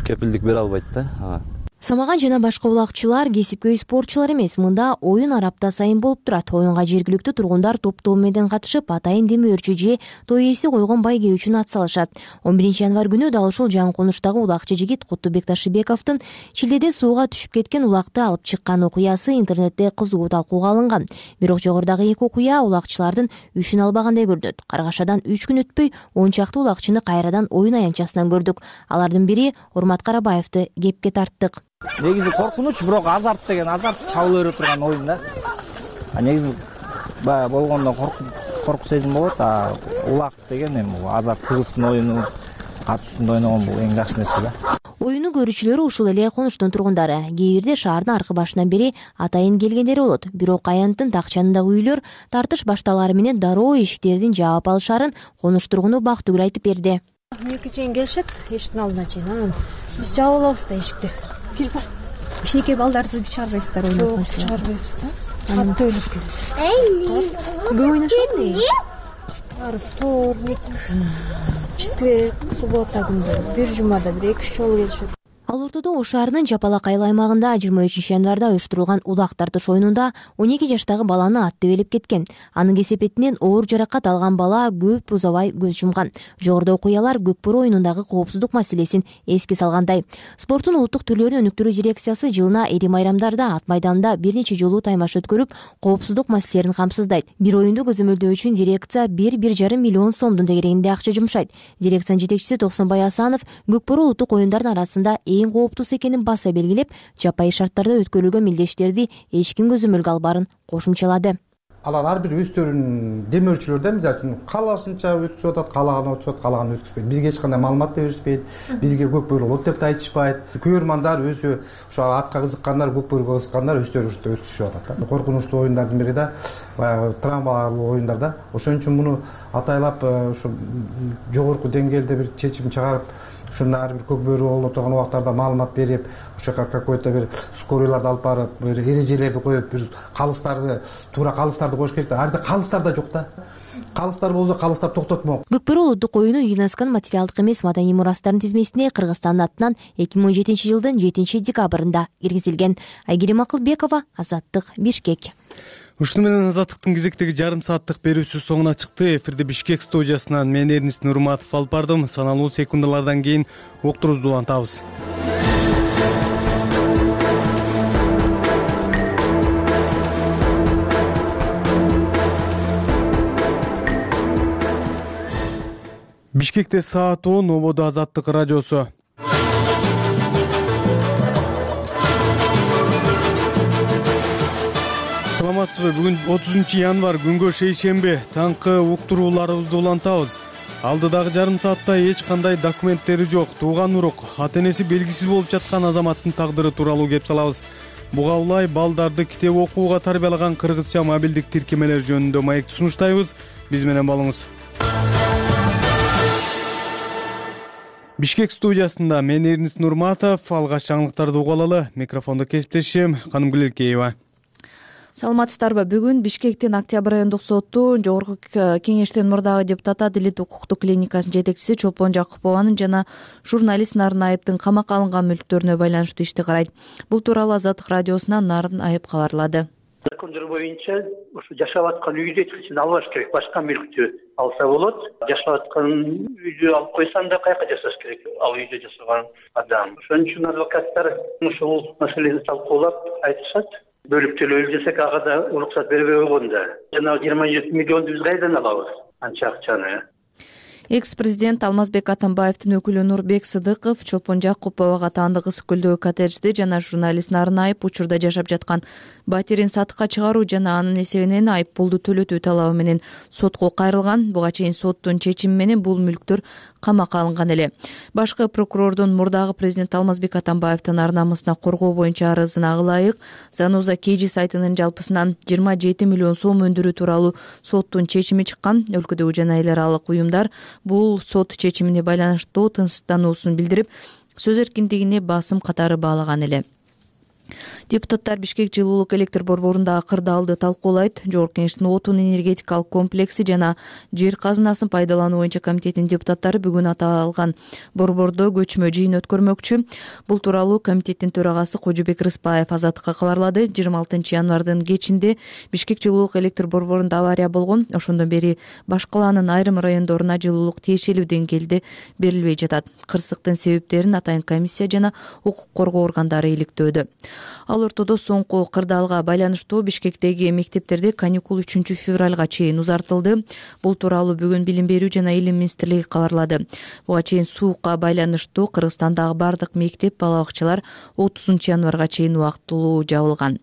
кепилдик бере албайт да. Самаган жана башка улакчылар кесипкөй спортчулар эмес, мында оюн арапта сайын болуп турат. Оюнга жергиликтүү тургундар топтоо менен катышып, атайын демөөрчү же той ээси койгон байге үчүн ат салышат. 11 январ күнү дал ушул жаңы конуштагы улакчы жигит Куттубек Ташыбековдун чилдеде сууга түшүп кеткен улакты алып чыккан окуясы интернетте кызуу талкууга алынган. Бирок жогорудагы эки окуя улакчылардын үчүн албагандай көрүнөт. Каргашадан 3 күн өтпөй 10 чакты улакчыны кайрадан оюн аянтчасынан көрдүк. Алардын бири Урмат Карабаевди кепке тарттык. Негизи коркунуч, бирок азарт деген азарт чабыла берип турган оюн да. Негизи баягы болгондо корку сезим болот, улак деген эми азарт кыргыздын оюну катуусунда ойногон бул эң жакшы нерсе да. Оюну көрүүчүлөрү ушул эле конуштун тургундары. Кээ бирде шаардын аркы башынан бери атайын келгендери болот. Бирок аянттын такчанындагы үйлөр тартыш башталары менен дароо эшиктердин жаап алышарын конуш тургуну Бактыгүл айтып берди. 2 чейин келишет, эшиктин алдына чейин. Биз жаап алабыз да эшикти. Кичинекей балдарды чыгарбайсыздар ойноп? Жок, чыгарбайбыз да. Катты өлүп кетет. Көп ойношот? Вторник, четверг, суббота күндөрү, бир жумада бир 2-3 жолу келишет. Ал ортодо Ош шаарынын Жапалак айыл аймагында 23 январда уюштурулган улак тартыш оюнунда 12 жаштагы баланы ат тебелеп кеткен. Анын кесепетинен оор жаракат алган бала көп узабай көз жумган. Жогоруда окуялар көк бөрү оюнундагы коопсуздук маселесин эске салгандай. Спорттун улуттук түрлөрүн өнүктүрүү дирекциясы жылына эри майрамдарда ат майданында бир нече жолу таймаш өткөрүп, коопсуздук маселелерин камсыздайт. Бир оюнду көзөмөлдөө үчүн дирекция 1,5 миллион сомдун тегерегинде акча жумшайт. Дирекциянын жетекчиси Токсонбай Асанов көк бөрү улуттук оюндардын арасында эң кооптуусу экенин баса белгилеп, жапайы шарттарда өткөрүлгөн мелдештерди эч ким көзөмөлгө албаарын кошумчалады. Алар ар бир өздөрүнүн демөөрчүлөр да, мисалы үчүн каалашынча өткүзүп атат, каалаган өткүзүп, каалаган өткүзбөйт. Бизге эч кандай маалымат да беришпейт, бизге көк бөрү болот деп да айтышпайт. Көрөрмандар өзү ошо атка кызыккандар, көк бөрүгө кызыккандар өздөрү ушинтип өткүзүшүп атат да. Коркунучтуу оюндардын бири да, баягы травмалуу оюндар да. Ошон үчүн муну атайлап ошо жогорку деңгээлде бир чечим чыгарып, ушуну ар бир көк бөрү болуп турган убактарда маалымат берип, ошол жака какой-то бир скорыйларды алып барып, бир эрежелерди коюп, бир калыстарды, туура калыстарды коюш керек да. Ар бир калыстар да жок да. Калыстар болсо калыстар токтотмок. Көкбөрү улуттук оюну ЮНЕСКОнун материалдык эмес маданий мурастардын тизмесине Кыргызстандын атынан 2017 жылдын 7 декабрында киргизилген. Айгерим Акылбекова, Азаттык, Бишкек. Ушуну менен Азаттыктын кезектеги жарым сааттык берүүсү соңуна чыкты. Эфирде Бишкек студиясынан мен Эрнис Нурматов алып бардым. Саналуу секундалардан кийин уктурубузду улантабыз. Бишкекте саат 10, Ободо Азаттык радиосу. Саламатсызбы? Бүгүн 30 январь, күнгө шейшемби. Таңкы уктурууларыбызды улантабыз. Алдыдагы жарым саатта эч кандай документтери жок, тууган урук, ата-энеси белгисиз болуп жаткан азаматтын тагдыры тууралуу кеп салабыз. Буга улай балдарды китеп окууга тарбиялаган кыргызча мобилдик тиркемелер жөнүндө маекти сунуштайбыз. Биз менен болуңуз. Бишкек студиясында мен Эрнис Нурматов, алгач жаңылыктарды угуп алалы. Микрофондо кесиптешим Канымгүл Элкеева. Саламатсыздарбы? Бүгүн Бишкектин Октябрь райондук соту Жогорку кеңештин мурдагы депутаты Адилет укуктук клиникасынын жетекчиси Чолпон Жакупованын жана журналист Нарын Айыптын камакка алынган мүлктөрүнө байланыштуу ишти карайт. Бул тууралуу Азаттык радиосуна Нарын Айып кабарлады. Закондор боюнча ушу жашап аткан үйдү эч албаш керек, башка мүлктү алса болот. Жашап аткан үйдү алып койсаң да каяка жашаш керек, ал үйдө жашаган адам. Ошон үчүн адвокаттар ушул маселени талкуулап айтышат. Бөлүп төлөөлү десек, ага да уруксат бербей койгон да. Жана 27 миллионду биз кайдан алабыз? Анча акчаны. Экс-президент Алмазбек Атамбаевдин өкүлү Нурбек Сыдыков Чолпон Жакуповага таандык Ысык көлдөгү коттеджди жана журналист Нарын Айып учурда жашап жаткан батирин сатыкка чыгаруу жана анын эсебинен айып пулду төлөтүү талабы менен сотко кайрылган. Буга чейин соттун чечими менен бул мүлктөр камакка алынган эле. Башкы прокурордун мурдагы президент Алмазбек Атамбаевдин ар намысына коргоо боюнча арызына ылайык Зануза Кежи сайтынын жалпысынан 27 миллион сом өндүрүү тууралуу соттун чечими чыккан. Өлкөдөгү жана эл аралык уюмдар бул сот чечимине байланыштуу тынчсыздануусун билдирип, сөз эркиндигине басым катары баалаган эле. Депутаттар Бишкек жылуулук электр борборундагы кырдаалды талкуулайт. Жогорку кеңештин отун энергетикалык комплекси жана жер казынасын пайдалануу боюнча комитетинин депутаттары бүгүн аталган борбордо көчмө жыйын өткөрмөкчү. Бул тууралуу комитеттин төрагасы Кожобек Рыспаев Азаттыкка кабарлады. 26 январдын кечинде Бишкек жылуулук электр борборунда авария болгон. Ошондон бери баш калаанын айрым райондоруна жылуулук тиешелүү деңгээлде берилбей жатат. Кырсыктын себептерин атайын комиссия жана укук коргоо органдары иликтөөдө. Ал ортодо соңку кырдаалга байланыштуу Бишкектеги мектептерде каникул 3 февралга чейин узартылды. Бул тууралуу бүгүн Билим берүү жана Илим министрлиги кабарлады. Буга чейин суукка байланыштуу Кыргызстандагы бардык мектеп, бала бакчалар 30 январга чейин убактылуу жабылган.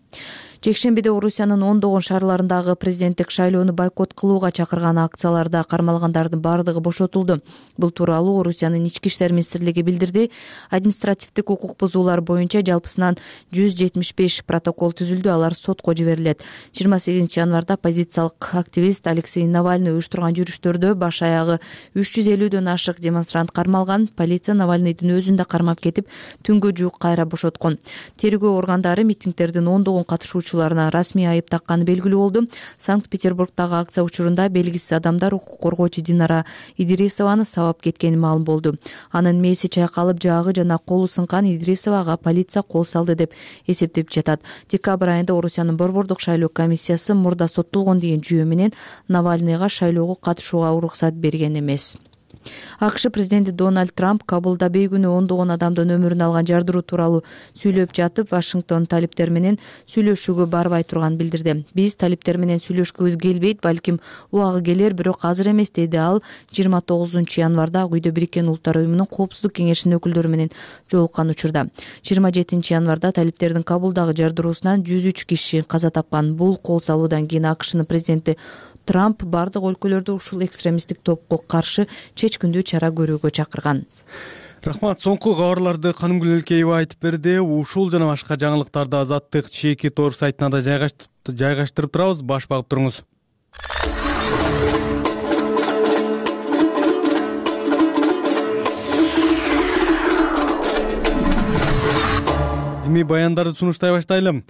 Жекшембиде Орусиянын ондогон шаарларындагы президенттик шайлоону бойкот кылууга чакырган акцияларда кармалгандардын бардыгы бошотулду. Бул тууралуу Орусиянын ички иштер министрлиги билдирди. Административдик укук бузуулар боюнча жалпысынан 175 протокол түзүлдү, алар сотко жиберилет. 28 январда оппозициялык активист Алексей Навальный уюштурган жүрүштөрдө баш аягы 350дөн ашык демонстрант кармалган. Полиция Навальныйдын өзүн да кармап кетип, түнгө жуук кайра бошоткон. Тергөө органдары митингдердин ондогон катышуучуларына расмий айып такканы белгилүү болду. Санкт-Петербургдагы акция учурунда белгисиз адамдар укук коргоочу Динара Идрисованы сабап кеткени маалым болду. Анын мээси чайкалып, жаагы жана колу сынкан. Идрисовага полиция кол салды деп эсептеп жатат. Декабрь айында Орусиянын борбордук шайлоо комиссиясы мурда соттолгон деген жүйө менен Навальныйга шайлоого катышууга уруксат берген эмес. АКШ президенти Дональд Трамп Кабулда бейгүнөө ондогон адамдын өмүрүн алган жардыруу тууралуу сүйлөп жатып, Вашингтон талиптер менен сүйлөшүүгө барбай турганын билдирди. Биз талиптер менен сүйлөшкүбүз келбейт, балким убагы келер, бирок азыр эмес, деди ал 29 январда Ак үйдө Бириккен Улуттар уюмунун Коопсуздук кеңешинин өкүлдөрү менен жолуккан учурда. 27 январда талиптердин Кабулдагы жардыруусунан 103 киши каза тапкан. Бул кол салуудан кийин АКШнын президенти Трамп бардык өлкөлөрдө ушул экстремисттик топко каршы чечкиндүү чара көрүүгө чакырган. Рахмат, соңку кабарларды Канымгүл Элкеева айтып берди. Ушул жана башка жаңылыктарды Азаттык чеки тор сайтына да жайгаштырып турабыз. Баш багып туруңуз. эми баяндарды сунуштай баштайлы.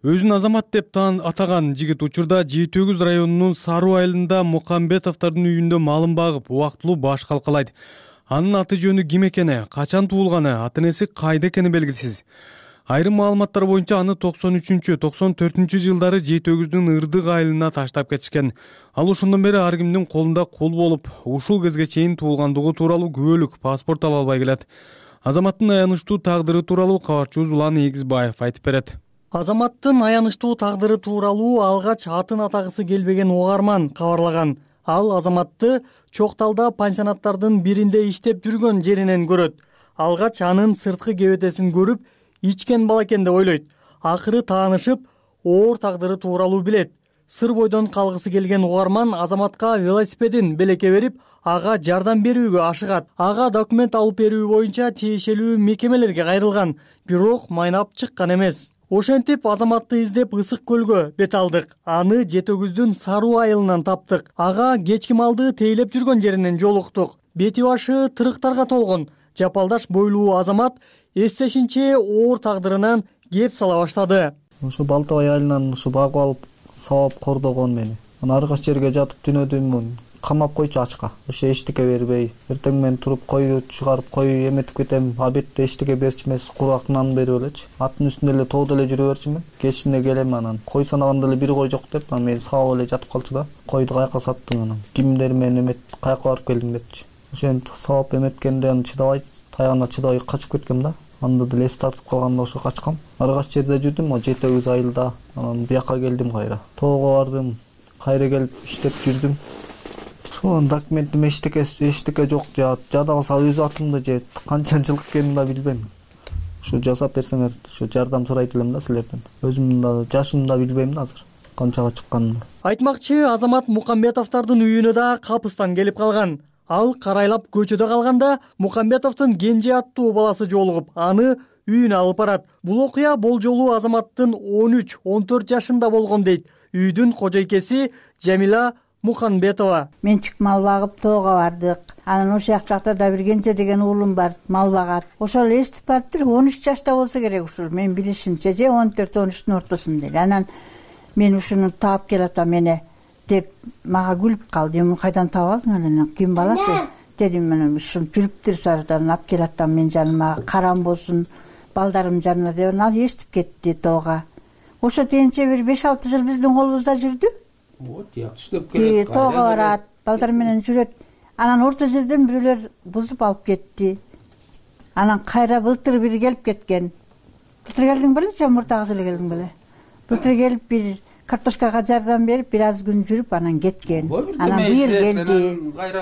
Өзүн азамат деп атаган жигит учурда Жети Өгүз районунун Саруу айылында Мукамбетовдордун үйүндө малын багып, убактылуу баш калкалайт. Анын аты жөнү ким экени, качан туулганы, ата-энеси кайда экени белгисиз. Айрым маалыматтар боюнча аны 93-94 жылдары Жети Өгүздүн Ырдык айылына таштап кетишкен. Ал ошондон бери ар кимдин колунда кул болуп, ушул кезге чейин туулгандыгы тууралуу күбөлүк паспорт ала албай келет. Азаматтын аянычтуу тагдыры тууралуу кабарчыбыз Улан Эгизбаев айтып берет. Азаматтын аянычтуу тагдыры тууралуу алгач атын атагысы келбеген угарман кабарлаган. Ал азаматты Чокталда пансионаттардын биринде иштеп жүргөн жеринен көрөт. Алгач анын сырткы кебетесин көрүп, ичкен бала экен деп ойлойт. Акыры таанышып, оор тагдыры тууралуу билет. Сыр бойдон калгысы келген угарман азаматка велосипедин белекке берип, ага жардам берүүгө ашыгат. Ага документ алып берүү боюнча тиешелүү мекемелерге кайрылган, бирок майнап чыккан эмес. Ошентип азаматты издеп Ысык көлгө бет алдык. Аны Жети Өгүздүн Саруу айылынан таптык. Ага кечки малды тейлеп жүргөн жеринен жолуктук. Бети башы тырыктарга толгон, жапалдаш бойлуу азамат эстешинче оор тагдырынан кеп сала баштады. Ушу Балтабай айылынан ушу багып алып, сабап кордогон мени. Аны аргаш жерге жатып түнөдүм. Камап койчу ачка. Ошо эчтеке бербей, эртең мен туруп койду чыгарып кой эметип кетем. Абетте эчтеке берчү эмес, курак нан берип элечи. Аттын үстүндө эле тоодо эле жүрө берчүмүн. Кечине келем анан. Кой санаганда эле бир кой жок деп, анан мени сабап эле жатып калчу да. Койду каяка саттың анан. Кимдер мени эмет, каяка барып келдиң депчи. Ошентип сабап эметкенде аны чыдабай, таягына чыдабай качып кеткем да. Анда деле эс тартып калганда ошо качкам. Аргаш жерде жүрдүм, о Жети Өгүз айылда. Анан бияка келдим кайра. Тоого бардым. Кайра келип иштеп жүрдүм. Ошон документим эчтеке жок, жада калса өз атымды же канча жыл экенин да билбейм. Ушу жасап берсеңер, ушу жардам сурайт элем да силерден. Өзүмдүн да жашымды да билбейм да азыр канчага чыкканын. Айтмакчы, азамат Мукамбетовдордун үйүнө да капыстан келип калган. Ал карайлап көчөдө калганда Мукамбетовдун кенже аттуу баласы жолугуп, аны үйүнө алып барат. Бул окуя болжолу азаматтын 13-14 жашында болгон дейт үйдүн кожойкеси Жамила Мукамбетова. Мен чык мал багып тоого бардык. Анан ошол жакта да бир Кенже деген уулум бар, мал багат. Ошол эстип барыптыр, 13 жашта болсо керек ушул. Мен билишимче же 14-13-тун ортосунда. Анан мен ушуну таап келатам мени деп мага күлүп калды. Мен кайдан таап алдың анан? Ким баласы? Дедим мен ушул жүрүптүр сардан алып келатам мен жаныма, карам болсун, балдарым жанына деп ал эстип кетти тоого. Ошо дегенче бир 5-6 жыл биздин колубузда жүрдү. Тоого барат, балдар менен жүрөт. Анан орто жерден бирөөлөр бузуп алып кетти. Анан кайра былтыр бир келип кеткен. Былтыр келдиң беле, же мурдагы жылы келдиң беле? Былтыр келип бир картошкага жардам берип, бир аз күн жүрүп анан кеткен. Анан быйыл келди.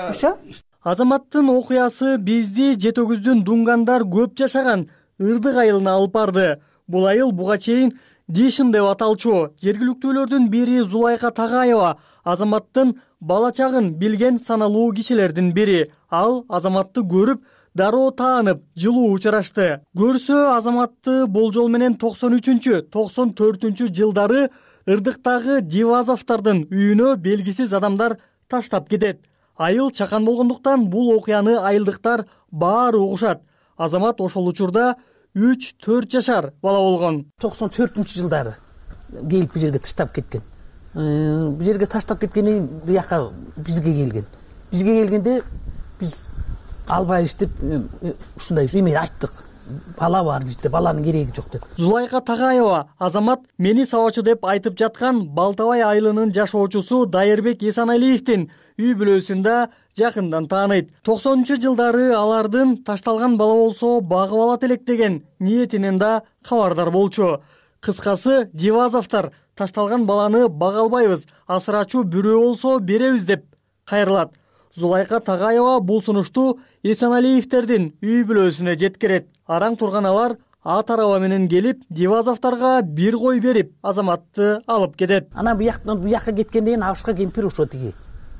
Ошо азаматтын окуясы бизди Жети Өгүздүн Дунгандар көп жашаган Ырдык айылына алып барды. Бул айыл буга чейин Дишин деп аталчу. Жергиликтүүлөрдүн бири Зулайка Тагаева азаматтын бала чагын билген саналуу кишилердин бири. Ал азаматты көрүп, дароо таанып, жылуу учурашты. Көрсө азаматты болжол менен 93-94 жылдары Ырдыктагы Дивазовдордун үйүнө белгисиз адамдар таштап кетет. Айыл чакан болгондуктан бул окуяны айылдыктар баары угушат. Азамат ошол учурда 3-4 жашар бала болгон. 94-жылдары келип бул жерге таштап кеткен. Бул жерге таштап кеткенден бияка бизге келген. Бизге келгенде биз албайбыз деп ушундай эме айттык. Бала бар бизде, баланын кереги жок деп. Зулайка Тагаева азамат мени сабачы деп айтып жаткан Балтабай айылынын жашоочусу Дайырбек Эсаналиевдин үй бүлөсүндө жакындан тааныйт. 90-жылдары алардын ташталган бала болсо багып алат элек деген ниетинен да кабардар болчу. Кыскасы Дивазовдор ташталган баланы бага албайбыз, асырачу бирөө болсо беребиз деп кайрылат. Зулайка Тагаева бул сунушту Эсаналиевдердин үй бүлөсүнө жеткирет. Араң турган алар ат араба менен келип, Дивазовдорго бир кой берип, азаматты алып кетет. Ана буяка кеткенден Абышка кемпир ошо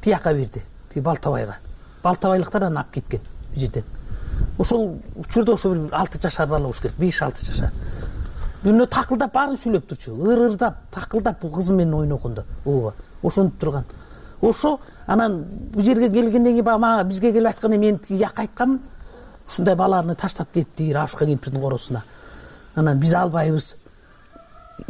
тияка берди. Балтабайга. Балтабайлыктардан алып кеткен бу жерден. Ошол учурда ошо бир 6 жашар бала болуш керек, 5-6 жашар. Бүнө такылдап баарын сүйлөп турчу. Ырырдап, такылдап бул кызы менен ойногондо. Ооба, ошонуп турган. Ошо анан бу жерге келгенден кийин мага бизге келип айтканда мен яка айткам, ушундай баланы таштап кетти Абышка кемпирдин коросуна. анан биз албайбыз.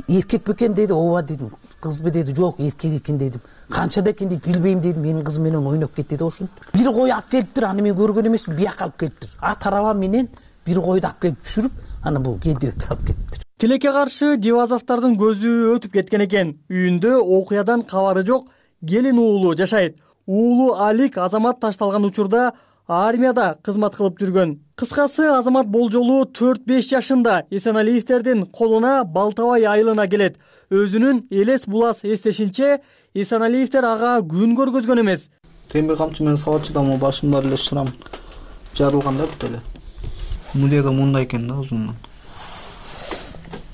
Эркек бекен дейди, ооба дедим. Кызбы дейди, жок, эркек экен дедим. Канчада экен дейт, билбейм дедим. Менин кызым менен ойноп кетти деп ошентип. Бир кой алып келиптир, аны мен көргөн эмесмин, бияка алып келиптир. Ат араба менен бир койду алып келип түшүрүп, аны бул келдибекти салып кетиптир. Тилекке каршы Дивазовдордун көзү өтүп кеткен экен. Үйүндө окуядан кабары жок келин уулу жашайт. Уулу Алик Азамат ташталган учурда армияда кызмат кылып жүргөн. Кыскасы, Азамат болжолу 4-5 жашында Эсеналиевтердин колуна Балтабай айылына келет. Өзүнүн элес булас эстешинче, Эсеналиевтер ага күн көргөзгөн эмес. Темир камчы менен сабатчыдам, башымда эле шырам жарылган да бүт эле. Музейда мындай экен да узундан.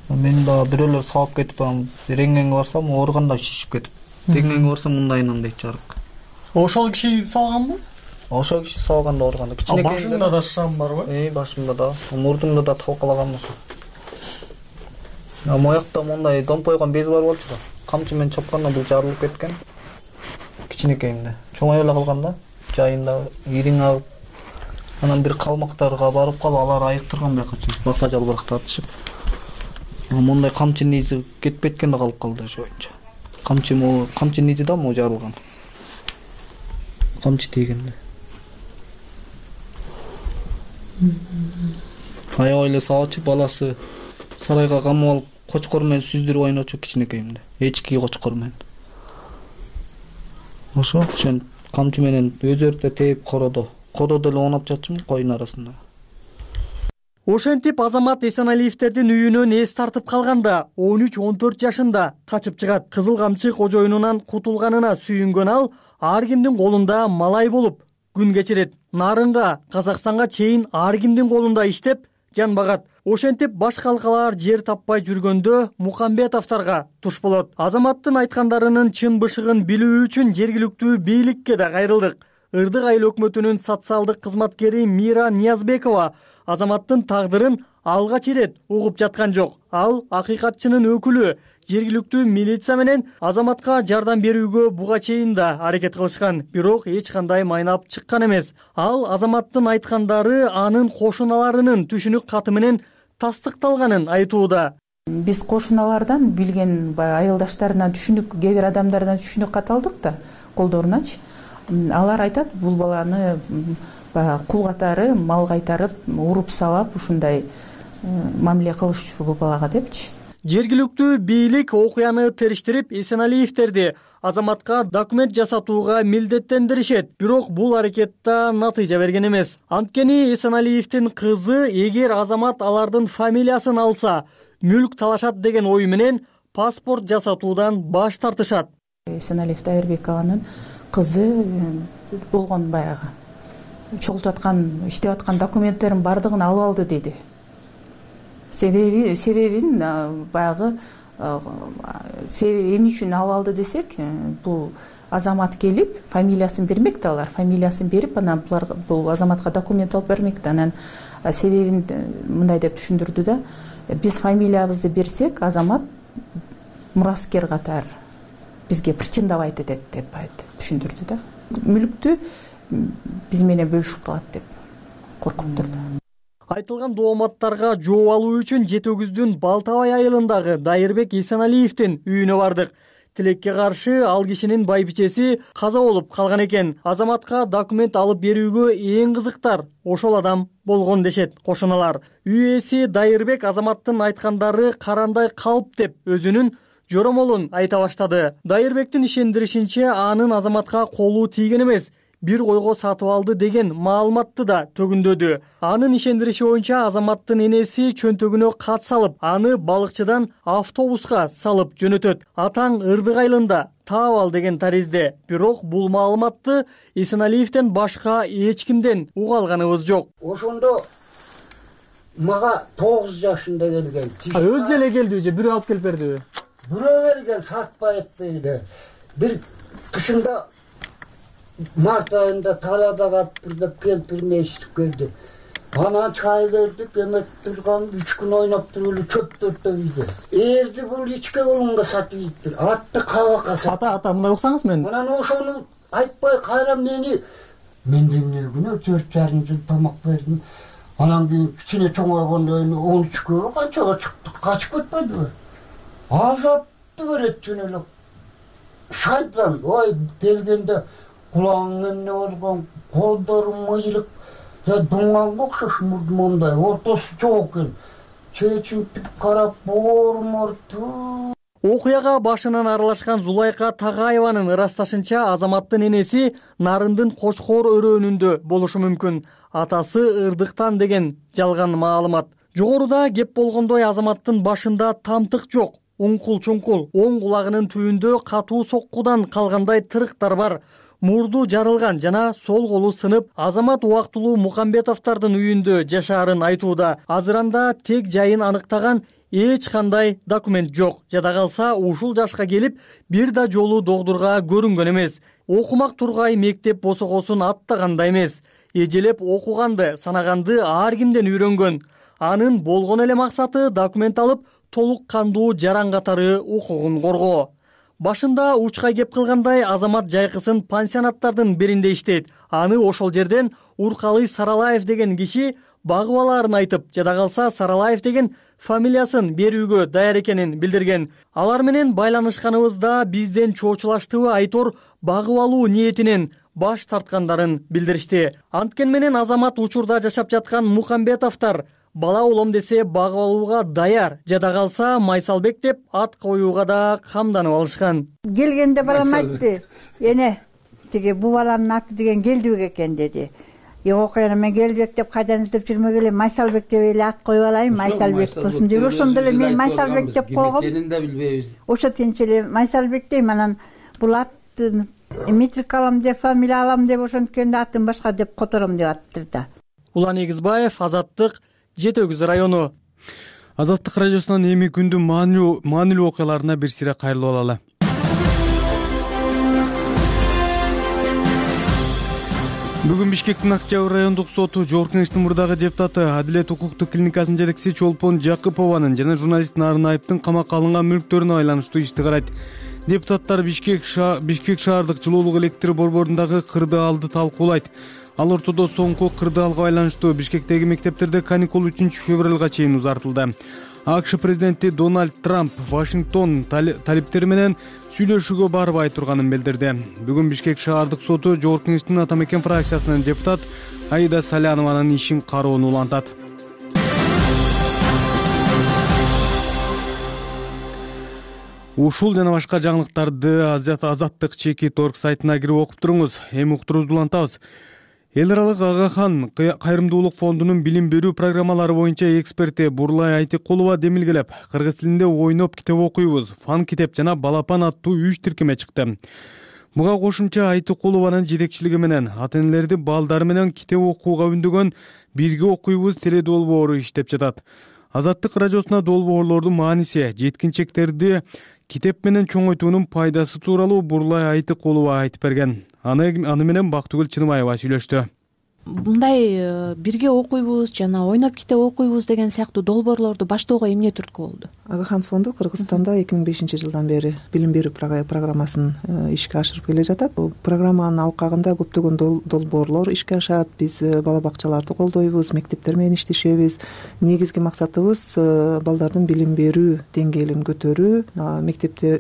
Мен да бирөөлөр сабап кетип, рентгенге барсам, оорганда шишип кетип. Рентгенге барсам мындайынан дейт жарык. Ошол киши салганбы? Ошол киши салганда оорганда. Башыңда да шрам барбы? Башымда да, мурдумда да талкалаган ошо. Моякта мындай домпойгон без бар болчу да. Камчы менен чапканда бул жарылып кеткен. Кичинекейинде. Чоңой эле калган да. Жайында ириң агып. Анан бир калмактарга барып калып, алар айыктырган бияка чейин. Бака жалбырак тартышып. Мындай камчынын изи кетпей эткенде калып калды ошо боюнча. Камчынын изи да могу жарылган. Камчы тийгенде. Аябай эле сабачы, баласы сарайга камап алып, кочкор менен сүздүрүп ойночу кичинекейимде. Эчки кочкор менен. Ошо камчы менен өзөртө тээп кородо. Кородо эле оонап жатчумун койдун арасында. Ошентип Азамат Эсеналиевтердин үйүнөн эс тартып калганда 13-14 жашында качып чыгат. Кызыл камчы кожоюнунан кутулганына сүйүнгөн ал ар кимдин колунда малай болуп күн кечирет. Нарынга, Казакстанга чейин ар кимдин колунда иштеп жан багат. Ошентип баш калкалар жер таппай жүргөндө Мукамбетовдорго туш болот. Азаматтын айткандарынын чын бышыгын билүү үчүн жергиликтүү бийликке да кайрылдык. Ырдык айыл өкмөтүнүн социалдык кызматкери Мира Ниязбекова Азаматтын тагдырын алгач ирет угуп жаткан жок. Ал акыйкатчынын өкүлү. Жергиликтүү милиция менен Азаматка жардам берүүгө буга чейин да аракет кылышкан, бирок эч кандай майнап чыккан эмес. Ал Азаматтын айткандары анын кошуналарынын түшүнүк каты менен тастыкталганын айтууда. Биз кошуналардан билген айылдаштарынан түшүнүк, кээ бир адамдардан түшүнүк кат алдык да, колдоруначы. Алар айтат, бул баланы кул катары мал кайтарып, уруп сабап, ушундай мамиле кылышчу бул балага депчи. Жергиликтүү бийлик окуяны териштирип, Эсеналиевтерди Азаматка документ жасатууга милдеттендиришет. Бирок бул аракетта натыйжа берген эмес. Анткени Эсеналиевдин кызы эгер Азамат алардын фамилиясын алса, мүлк талашат деген ой менен паспорт жасатуудан баш тартышат. Эсеналиев Дайырбекованын кызы болгон баягы чогултуп аткан, иштеп аткан документтерин бардыгын алып алды деди. Себебин баягы эмне үчүн алып алды десек, бул Азамат келип фамилиясын бермек да, алар фамилиясын берип, анан бул Азаматка документ алып бермек да. Анан себебин мындай деп түшүндүрдү да, биз фамилиябызды берсек, Азамат мураскер катары бизге претендовать этет деп түшүндүрдү да. Мүлктү биз менен бөлүшүп калат деп коркуп турду. Айтылган дооматтарга жооп алуу үчүн Жети Өгүздүн Балтабай айылындагы Дайырбек Эсеналиевдин үйүнө бардык. Тилекке каршы ал кишинин байбичеси каза болуп калган экен. Азаматка документ алып берүүгө эң кызыктар ошол адам болгон дешет кошуналар. Үй ээси Дайырбек Азаматтын айткандары карандай калп деп өзүнүн жоромолун айта баштады. Дайырбектин ишендиришинче, анын Азаматка колу тийген эмес, бир койго сатып алды деген маалыматты да төгүндөдү. Анын ишендириши боюнча Азаматтын энеси чөнтөгүнө кат салып, аны балыкчыдан автобуска салып жөнөтөт. Атаң Ырдык айылында таап ал деген таризде. Бирок бул маалыматты Эсеналиевден башка эч кимден уга алганыбыз жок. Ошондо мага 9 жашында келген. Өзү эле келдиби же бирөө алып келип бердиби? Бирөө берген, сатпай этпейди. Бир кышында март айында талада калыптыр деп келип эшитип келди. Анан чай бердик, эметип турган 3 күн ойноп туруп эле чөптөртө үйдө. Эрди бул ичке колунга сатып ийиптир. Атты кабакка сатып. Ата, мындай уксаңыз мен. Анан ошону айтпай кайра мен эмне күнөө 4,5 жыл тамак бердим. Анан кийин кичине чоңойгондон кийин 13-кө канчага чыктык, качып кетпедиби? Азапты берет жөн эле. Шайтан, ой келгенде кулагың эмне болгон, колдорум мыйрык, дуңганга окшош мондай, ортосу жок экен. Чечинтип карап, боорморту. Окуяга башынан аралашкан Зулайка Тагаеванын ырасташынча Азаматтын энеси Нарындын Кочкор өрөөнүндө болушу мүмкүн. Атасы ырдыктан деген жалган маалымат. Жогоруда кеп болгондой Азаматтын башында тамтык жок. Уңкул-чуңкул, оң кулагынын түбүндө катуу соккудан калгандай тырыктар бар. Мурду жарылган жана сол колу сынып, Азамат убактылуу Мукамбетовдордун үйүндө жашаарын айтууда. Азыр анда тек жайын аныктаган эч кандай документ жок. Жада калса ушул жашка келип бир да жолу докторго көрүнгөн эмес. Окумак тургай мектеп босогосун аттаган да эмес. Эжелеп окуганды, санаганды ар кимден үйрөнгөн. Анын болгон эле максаты документ алып, толук кандуу жаран катары укугун коргоо. Башында учка кеп кылгандай Азамат жайкысын пансионаттардын биринде иштейт. Аны ошол жерден Уркалый Саралаев деген киши багып алаарын айтып, жада калса Саралаев деген фамилиясын берүүгө даяр экенин билдирген. Алар менен байланышканыбызда бизден чоочулаштыбы айтор багып алуу ниетинен баш тарткандарын билдиришти. Анткени менен Азамат учурда жашап жаткан Мукамбетовдор бала улам десе багып алууга даяр. Жада калса Майсалбек деп ат коюуга да камданып алышкан. Келгенде балам айтты, эне тиги бу баланын аты деген Келдибек экен деди. Окуяна мен Келдибек деп кайдан издеп жүрмөгүлө, Майсалбек деп эле ат коюп алайын, Майсалбек болсун деп. Ошондо эле мен Майсалбек деп койгом. Кимдикенин да билбейбиз. Ошо тинч эле Майсалбек дейм, анан бул аттын метрик алам деп, фамилия алам деп, ошонткенде атын башка деп котором деп аттыр да. Улан Эгизбаев, Азаттык, Жети Өгүз району. Азаттык радиосунан эми күндүн маанилүү окуяларына бир сире кайрылып алалы. Бүгүн Бишкектин Октябрь райондук соту Жогорку Кеңештин мурдагы депутаты Адилет укуктук клиникасынын жетекчиси Чолпон Жакыпованын жана журналист Нарын Айыптын камакка алынган мүлктөрүнө байланыштуу ишти карайт. Депутаттар Бишкек шаардык жылуулук электр борборундагы кырды алды талкуулайт. Ал ортодо соңку кырды алга байланыштуу Бишкектеги мектептерде каникул 3-февралга чейин узартылды. АКШ президенти Дональд Трамп Вашингтон талиптери менен сүйлөшүүгө барбай турганын билдирди. Бүгүн Бишкек шаардык соту Жогорку Кеңештин Ата Мекен фракциясынын депутат Аида Салянованын ишин кароону улантат. Ушул жана башка жаңылыктарды Азаттык чекит орг сайтына кирип окуп туруңуз. Эми уктуруубузду улантабыз. Эл аралык Агахан кайрымдуулук фондунун билим берүү программалары боюнча эксперти Бурлай Айтыкулова демилгелеп, кыргыз тилинде ойноп китеп окуйбуз, фан китеп жана балапан аттуу 3 тиркеме чыкты. Буга кошумча Айтыкулованын жетекчилиги менен ата-энелерди балдары менен китеп окууга үндөгөн Бирге окуйбуз теле долбоору иштеп жатат. Азаттык радиосуна долбоорлордун мааниси, жеткинчектерди китеп менен чоңойтуунун пайдасы тууралуу Бурлай Айтыкулова айтып берген. Аны менен Бактыгүл Чыныбаева сүйлөштү. Мындай бирге окуйбуз жана ойноп китеп окуйбуз деген сыяктуу долбоорлорду баштоого эмне түрткү болду? Агахан фонду Кыргызстанда 2005-жылдан бери билим берүү программасын ишке ашырып келе жатат. Бул программанын алкагында көптөгөн долбоорлор ишке ашат. Биз бала бакчаларды колдойбуз, мектептер менен иштешебиз. Негизги максатыбыз балдардын билим берүү деңгээлин көтөрүү,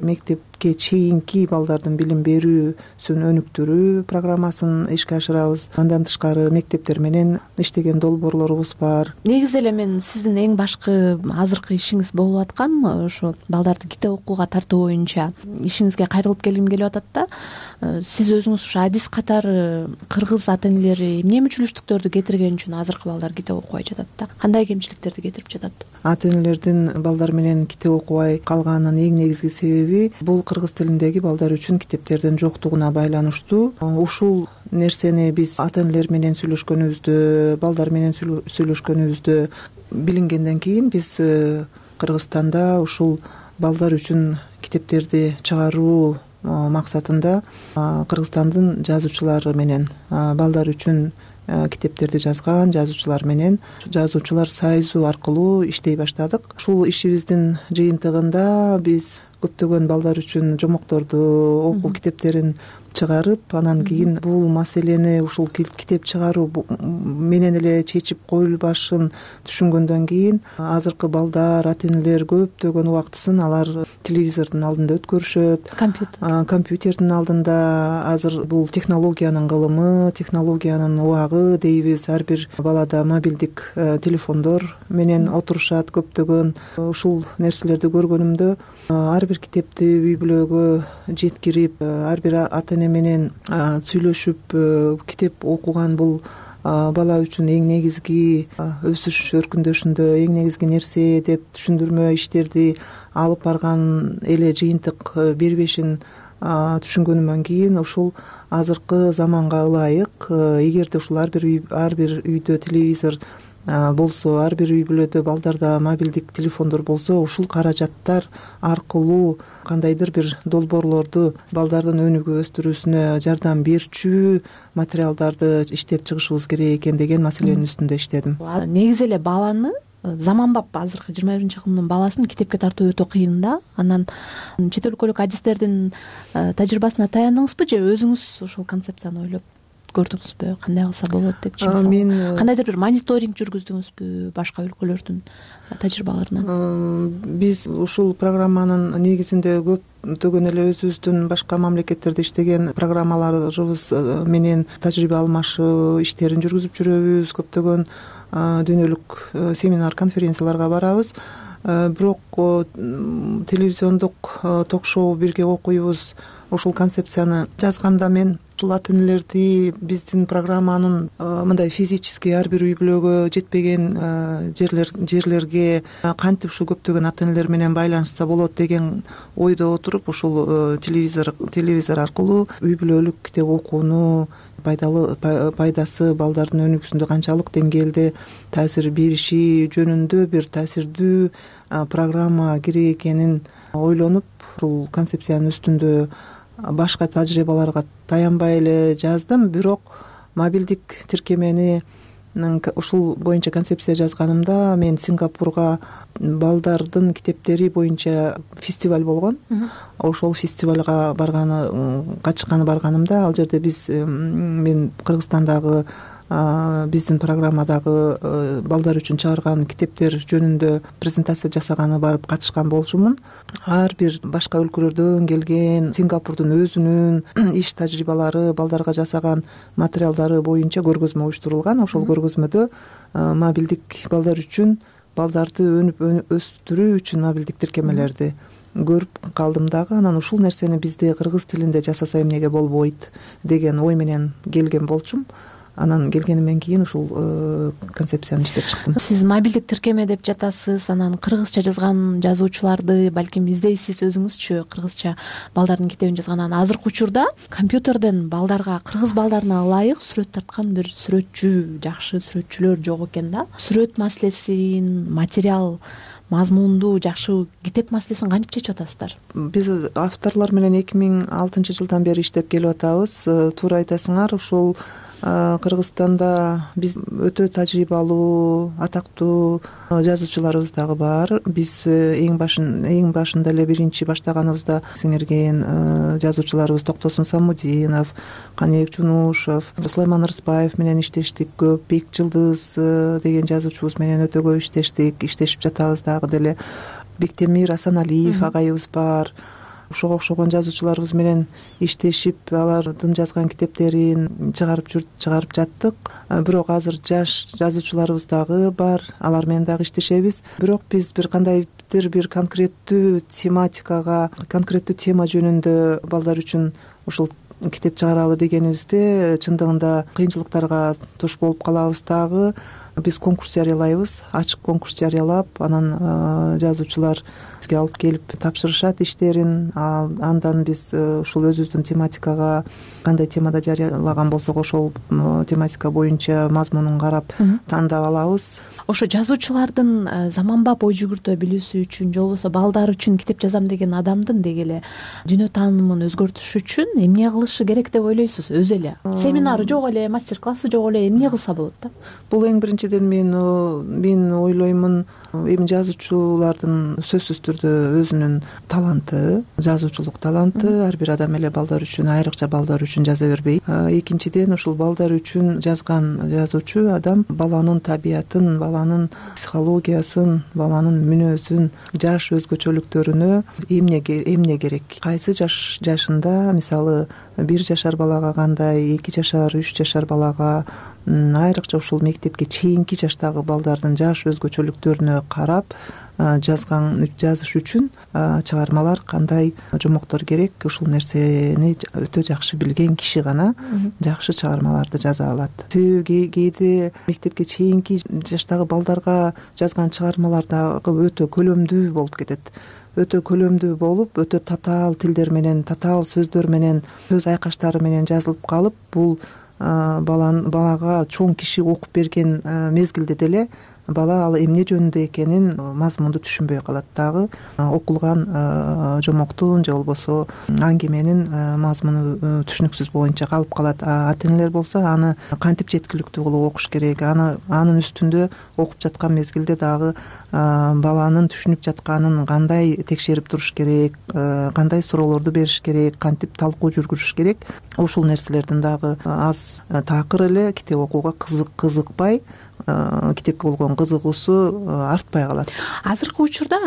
мектепке чейинки балдардын билим берүүсүн өнүктүрүү программасын ишке ашырабыз. Андан тышкары мектептер менен иштеген долбоорлорубуз бар. Негизи эле мен сиздин эң башкы азыркы ишиңиз болуп аткан ошо балдарды китеп окууга тартуу боюнча ишиңизге кайрылып келгим келип атат да. Сиз өзүңүз ушу адис катары кыргыз ата-энелери эмне мүчүлүштүктөрдү кетирген үчүн азыркы балдар китеп окубай жатат да? Кандай кемчиликтерди кетирип жатат? Ата-энелердин балдар менен китеп окубай калганынын эң негизги себеби бул кыргыз тилиндеги балдар үчүн китептердин жоктугуна байланыштуу. Ушул нерсени биз ата-энелер менен сүйлөшкөнүбүздө, балдар менен сүйлөшкөнүбүздө билингенден кийин биз Кыргызстанда ушул балдар үчүн китептерди чыгаруу максатында Кыргызстандын жазуучулары менен балдар үчүн китептерди жазган жазуучулар менен жазуучулар союзу аркылуу иштей баштадык. Ушул ишибиздин жыйынтыгында биз көптөгөн балдар үчүн жомокторду, окуу китептерин чыгарып, анан кийин бул маселени ушул китеп чыгаруу менен эле чечип коюлбашын түшүнгөндөн кийин азыркы балдар, ата энелер көптөгөн убактысын алар телевизордун алдында өткөрүшөт, компьютердин алдында. Азыр бул технологиянын кылымы, технологиянын убагы дейбиз. Ар бир балада мобилдик телефондор менен отурушат көптөгөн. Ушул нерселерди көргөнүмдө ар бир китепти үй бүлөгө жеткирип, ар бир ата эне менен сүйлөшүп китеп окуган бул бала үчүн эң негизги өсүш өркүндөшүндө эң негизги нерсе деп түшүндүрмө иштерди алып барган эле жыйынтык бербешин түшүнгөнүмөн кийин ушул азыркы заманга ылайык, эгерде ушул ар бир үйдө телевизор болсо, ар бир үй бүлөдө балдарда мобилдик телефондор болсо, ушул каражаттар аркылуу кандайдыр бир долбоорлорду балдардын өнүгүү өстүрүүсүнө жардам берчү материалдарды иштеп чыгышыбыз керек экен деген маселенин үстүндө иштедим. Негизи эле баланы заманбап азыркы 21-кылымдын баласын китепке тартуу өтө кыйын да. Анан чет өлкөлүк адистердин тажрыйбасына таяндыңызбы же өзүңүз ушул концепцияны ойлоп көрдүңүзбү, кандай кылса болот деп? Мен кандайдыр бир мониторинг жүргүздүңүзбү башка өлкөлөрдүн тажрыйбаларынан? Биз ушул программанын негизинде көптөгөн эле өзүбүздүн башка мамлекеттерде иштеген программаларыбыз менен тажрыйба алмашуу иштерин жүргүзүп жүрөбүз. Көптөгөн дүйнөлүк семинар, конференцияларга барабыз. Бирок телевизиондук ток-шоу бирге окуйбуз. Ушул концепцияны жазганда мен ушул ата энелерди биздин программанын мындай физически ар бир үй бүлөгө жетпеген жерлерге кантип ушул көптөгөн ата энелер менен байланышса болот деген ойдо отуруп, ушул телевизор аркылуу үй бүлөлүк китеп окууну пайдасы балдардын өнүгүүсүндө канчалык деңгээлде таасир бериши жөнүндө бир таасирдүү программа керек экенин ойлонуп, ушул концепциянын үстүндө башка тажрыйбаларга таянбай эле жаздым. Бирок мобилдик тиркемени ушул боюнча концепция жазганымда мен Сингапурга балдардын китептери боюнча фестиваль болгон. Ошол фестивалга катышканы барганымда, ал жерде мен Кыргызстандагы биздин программадагы балдар үчүн чыгарган китептер жөнүндө презентация жасаганы барып катышкан болчумун. Ар бир башка өлкөлөрдөн келген Сингапурдун өзүнүн иш тажрыйбалары, балдарга жасаган материалдары боюнча көргөзмө уюштурулган. Ошол көргөзмөдө мобилдик балдар үчүн, балдарды өнүп өстүрүү үчүн мобилдик тиркемелерди көрүп калдым дагы. Анан ушул нерсени бизде кыргыз тилинде жасаса эмнеге болбойт деген ой менен келген болчум. Анан келгенимден кийин ушул концепцияны иштеп чыктым. Сиз мобилдик тиркеме деп жатасыз, анан кыргызча жазган жазуучуларды балким издейсиз өзүңүзчү, кыргызча балдардын китебин жазган. Анан азыркы учурда компьютерден балдарга, кыргыз балдарына ылайык сүрөт тарткан бир сүрөтчү, жакшы сүрөтчүлөр жок экен да. Сүрөт маселесин, материал мазмунду жакшы китеп маселесин кантип чечип атасыздар? Биз авторлор менен 2006-жылдан бери иштеп келип атабыз. Туура айтасыңар, ушул Кыргызстанда биз өтө тажрыйбалуу, атактуу жазуучуларыбыз дагы бар. Биз эң башында эле биринчи баштаганыбызда сиңирген жазуучуларыбыз Токтосун Самудинов, Каныбек Жунушев, Сулайман Рыспаев менен иштештик көп. Бек Жылдыз деген жазуучубуз менен өтө көп иштешип жатабыз дагы деле. Бектемир Асаналиев агайыбыз бар. Ошого окшогон жазуучуларыбыз менен иштешип, алардын жазган китептерин чыгарып жаттык. Бирок азыр жаш жазуучуларыбыз дагы бар, алар менен дагы иштешебиз. Бирок биз бир кандайдыр бир конкреттүү тема жөнүндө балдар үчүн ушул китеп чыгаралы дегенибизде чындыгында кыйынчылыктарга туш болуп калабыз дагы. Биз конкурс жарыялайбыз, ачык конкурс жарыялап, анан жазуучулар бизге алып келип тапшырышат иштерин. Андан биз ушул өзүбүздүн тематикага, кандай темада жарыялаган болсок ошол тематика боюнча мазмунун карап тандап алабыз. Ошо жазуучулардын заманбап ой жүгүртө билүүсү үчүн, же болбосо балдар үчүн китеп жазам деген адамдын деги эле дүйнө таанымын өзгөртүш үчүн эмне кылышы керек деп ойлойсуз өзү эле? Семинары жок эле, мастер классы жок эле, эмне кылса болот да? Бул эң биринчи экинчиден мен ойлоймун эми жазуучулардын сөзсүз түрдө өзүнүн таланты, жазуучулук таланты ар бир адам эле балдар үчүн, айрыкча балдар үчүн жаза бербейт. Экинчиден ушул балдар үчүн жазган жазуучу адам баланын табиятын, баланын психологиясын, баланын мүнөзүн, жаш өзгөчөлүктөрүнө эмне керек, кайсы жашында, мисалы 1 жашар балага кандай, 2 жашар, 3 жашар балага, айрыкча ушул мектепке чейинки жаштагы балдардын жаш өзгөчөлүктөрүнө карап жазыш үчүн чыгармалар кандай жомоктор керек, ушул нерсени өтө жакшы билген киши гана жакшы чыгармаларды жаза алат. Себеби кээде мектепке чейинки жаштагы балдарга жазган чыгармалар дагы өтө көлөмдүү болуп кетет. Өтө көлөмдүү болуп, өтө татаал тилдер менен, татаал сөздөр менен, сөз айкаштары менен жазылып калып, бул балага чоң киши окуп берген мезгилде деле бала ал эмне жөнүндө экенин мазмунду түшүнбөй калат. Дагы окулган жомоктун же болбосо аңгеменин мазмуну түшүнүксүз боюнча калып калат. Ата энелер болсо аны кантип жеткиликтүү кылып окуш керек, анын үстүндө окуп жаткан мезгилде дагы баланын түшүнүп жатканын кандай текшерип туруш керек, кандай суроолорду бериш керек, кантип талкуу жүргүзүш керек, ушул нерселердин дагы аз такыр эле китеп окууга кызыкпай, китепке болгон кызыгуусу артпай калат. Азыркы учурда,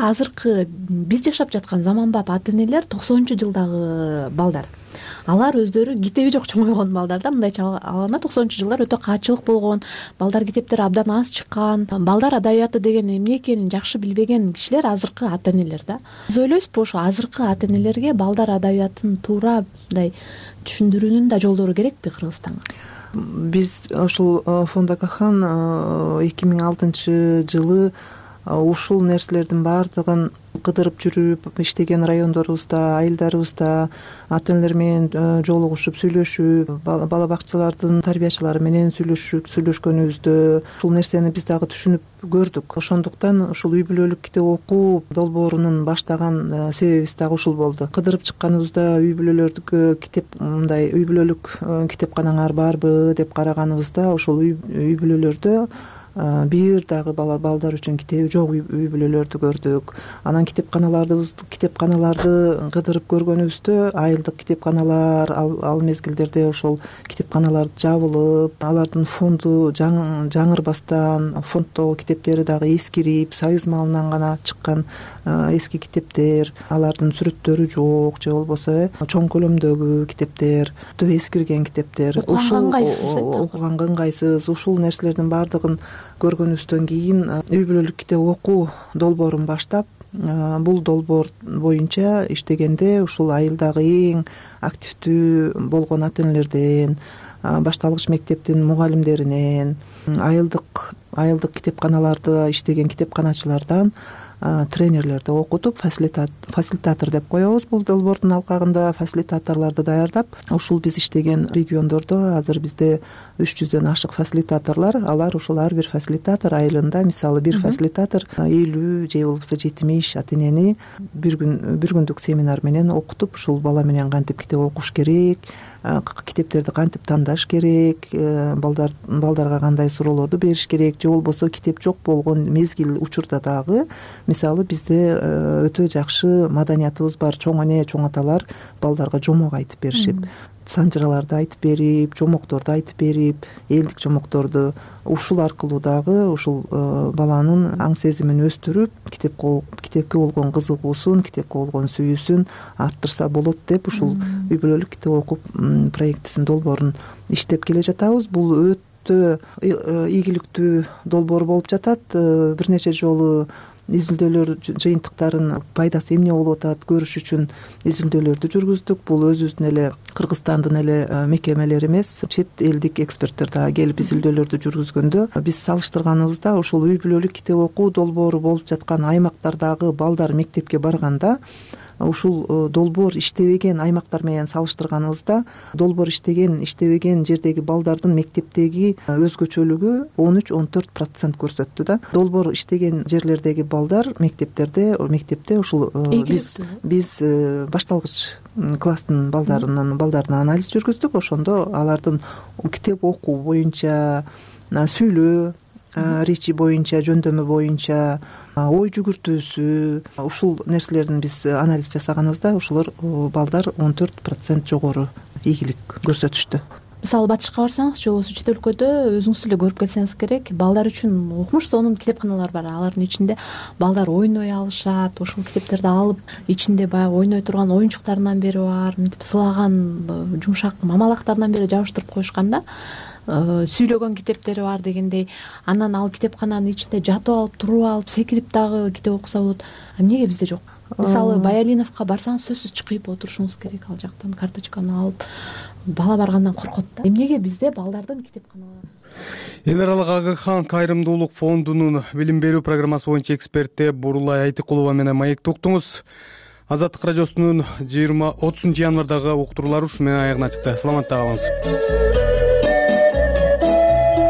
биз жашап жаткан заманбап ата энелер 90-жылдагы балдар, алар өздөрү китеби жок чоңойгон балдар да, мындайча алганда 90-жылдар өтө каатчылык болгон, балдар китептер абдан аз чыккан, балдар адабияты деген эмне экенин жакшы билбеген кишилер азыркы ата энелер да. Биз ойлойсузбу ошо азыркы ата энелерге балдар адабиятын туура мындай түшүндүрүүнүн да жолдору керекпи Кыргызстанга? Биз ушул фонд Акахан 2006-жылы ушул нерселердин баардыгын кыдырып жүрүп иштеген райондорубузда, айылдарыбызда ата энелер менен жолугушуп, сүйлөшүп, бала бакчалардын тарбиячылары менен сүйлөшкөнүбүздө ушул нерсени биз дагы түшүнүп көрдүк. Ошондуктан ушул үй бүлөлүк китеп окуу долбоорунун баштаган себебибиз дагы ушул болду. Кыдырып чыкканыбызда үй бүлөлөрдүкө мындай үй бүлөлүк китепканаңар барбы деп караганыбызда ушул үй бүлөлөрдө бир дагы балдар үчүн китеби жок үй бүлөлөрдү көрдүк. Анан китепканаларды кыдырып көргөнүбүздө айылдык китепканалар ал мезгилдерде ошол китепканалар жабылып, алардын фонду жаңырбастан, фонддогу китептери дагы эскирип, союз малынан гана чыккан эски китептер, алардын сүрөттөрү жок же болбосо чоң көлөмдөгү китептер, өтө эскирген китептер, окуганга ыңгайсыз, ушул нерселердин баардыгын көргөнүбүздөн кийин үй бүлөлүк китеп окуу долбоорун баштап, бул долбоор боюнча иштегенде ушул айылдагы эң активдүү болгон ата энелерден, башталгыч мектептин мугалимдеринен, айылдык китепканаларда иштеген китепканачылардан тренерлерди окутуп, фасилитатор деп коебуз бул долбоордун алкагында, фасилитаторлорду даярдап, ушул биз иштеген региондордо азыр бизде 300дөн ашык фасилитаторлор, алар ушул ар бир фасилитатор айылында, мисалы бир фасилитатор 50 же болбосо 70 ата энени бир күндүк семинар менен окутуп, ушул бала менен кантип китеп окуш керек, китептерди кантип тандаш керек, балдарга кандай суроолорду бериш керек, же болбосо китеп жок болгон мезгил учурда дагы, мисалы бизде өтө жакшы маданиятыбыз бар. Чоң эне, чоң аталар балдарга жомок айтып беришип, санжыраларды айтып берип, жомокторду айтып берип, элдик жомокторду, ушул аркылуу дагы ушул баланын аң сезимин өстүрүп, китепке болгон кызыгуусун, китепке болгон сүйүүсүн арттырса болот деп ушул үй бүлөлүк китеп окуу проектисин долбоорун иштеп келе жатабыз. Бул өтө ийгиликтүү долбоор болуп жатат. Бир нече жолу изилдөөлөр жыйынтыктарын пайдасы эмне болуп атат көрүш үчүн изилдөөлөрдү жүргүздүк. Бул өзүбүздүн эле Кыргызстандын эле мекемелери эмес, чет элдик эксперттер дагы келип изилдөөлөрдү жүргүзгөндө биз салыштырганыбызда ушул үй бүлөлүк китеп окуу долбоору болуп жаткан аймактардагы балдар мектепке барганда ушул долбоор иштебеген аймактар менен салыштырганыбызда долбоор иштебеген жердеги балдардын мектептеги өзгөчөлүгү 13-14% көрсөттү да. Долбоор иштеген жерлердеги балдар мектепте ушул биз башталгыч класстын балдарына анализ жүргүздүк. Ошондо алардын китеп окуу боюнча, сүйлөө, речи боюнча, жөндөмү боюнча, ой жүгүртүүсү, ушул нерселердин биз анализ жасаганыбызда ушулар балдар 14% жогору ийгилик көрсөтүштү. Мисалы батышка барсаңыз же болбосо чет өлкөдө өзүңүз эле көрүп келсеңиз керек, балдар үчүн укмуш сонун китепканалар бар. Алардын ичинде балдар ойной алышат, ошол китептерди алып, ичинде баягы ойной турган оюнчуктарынан бери бар, мынтип сылаган жумшак мамалактарынан бери жабыштырып коюшкан да. Сүйлөгөн китептери бар дегендей. Анан ал китепкананын ичинде жатып алып, туруп алып, секирип дагы китеп окуса болот. Эмнеге бизде жок? Мисалы Баялиновго барсаңыз сөзсүз чыкып отурушуңуз керек, ал жактан карточканы алып. Бала баргандан коркот да. Эмнеге бизде балдардын китепканалары? Эл аралык Агыхан кайрымдуулук фондунун билим берүү программасы боюнча эксперти Бурулай Айтыкулова менен маектте уктуңуз. Азаттык радиосунун 30 январдагы уктуруулары ушу менен аягына чыкты. Саламатта калыңыз.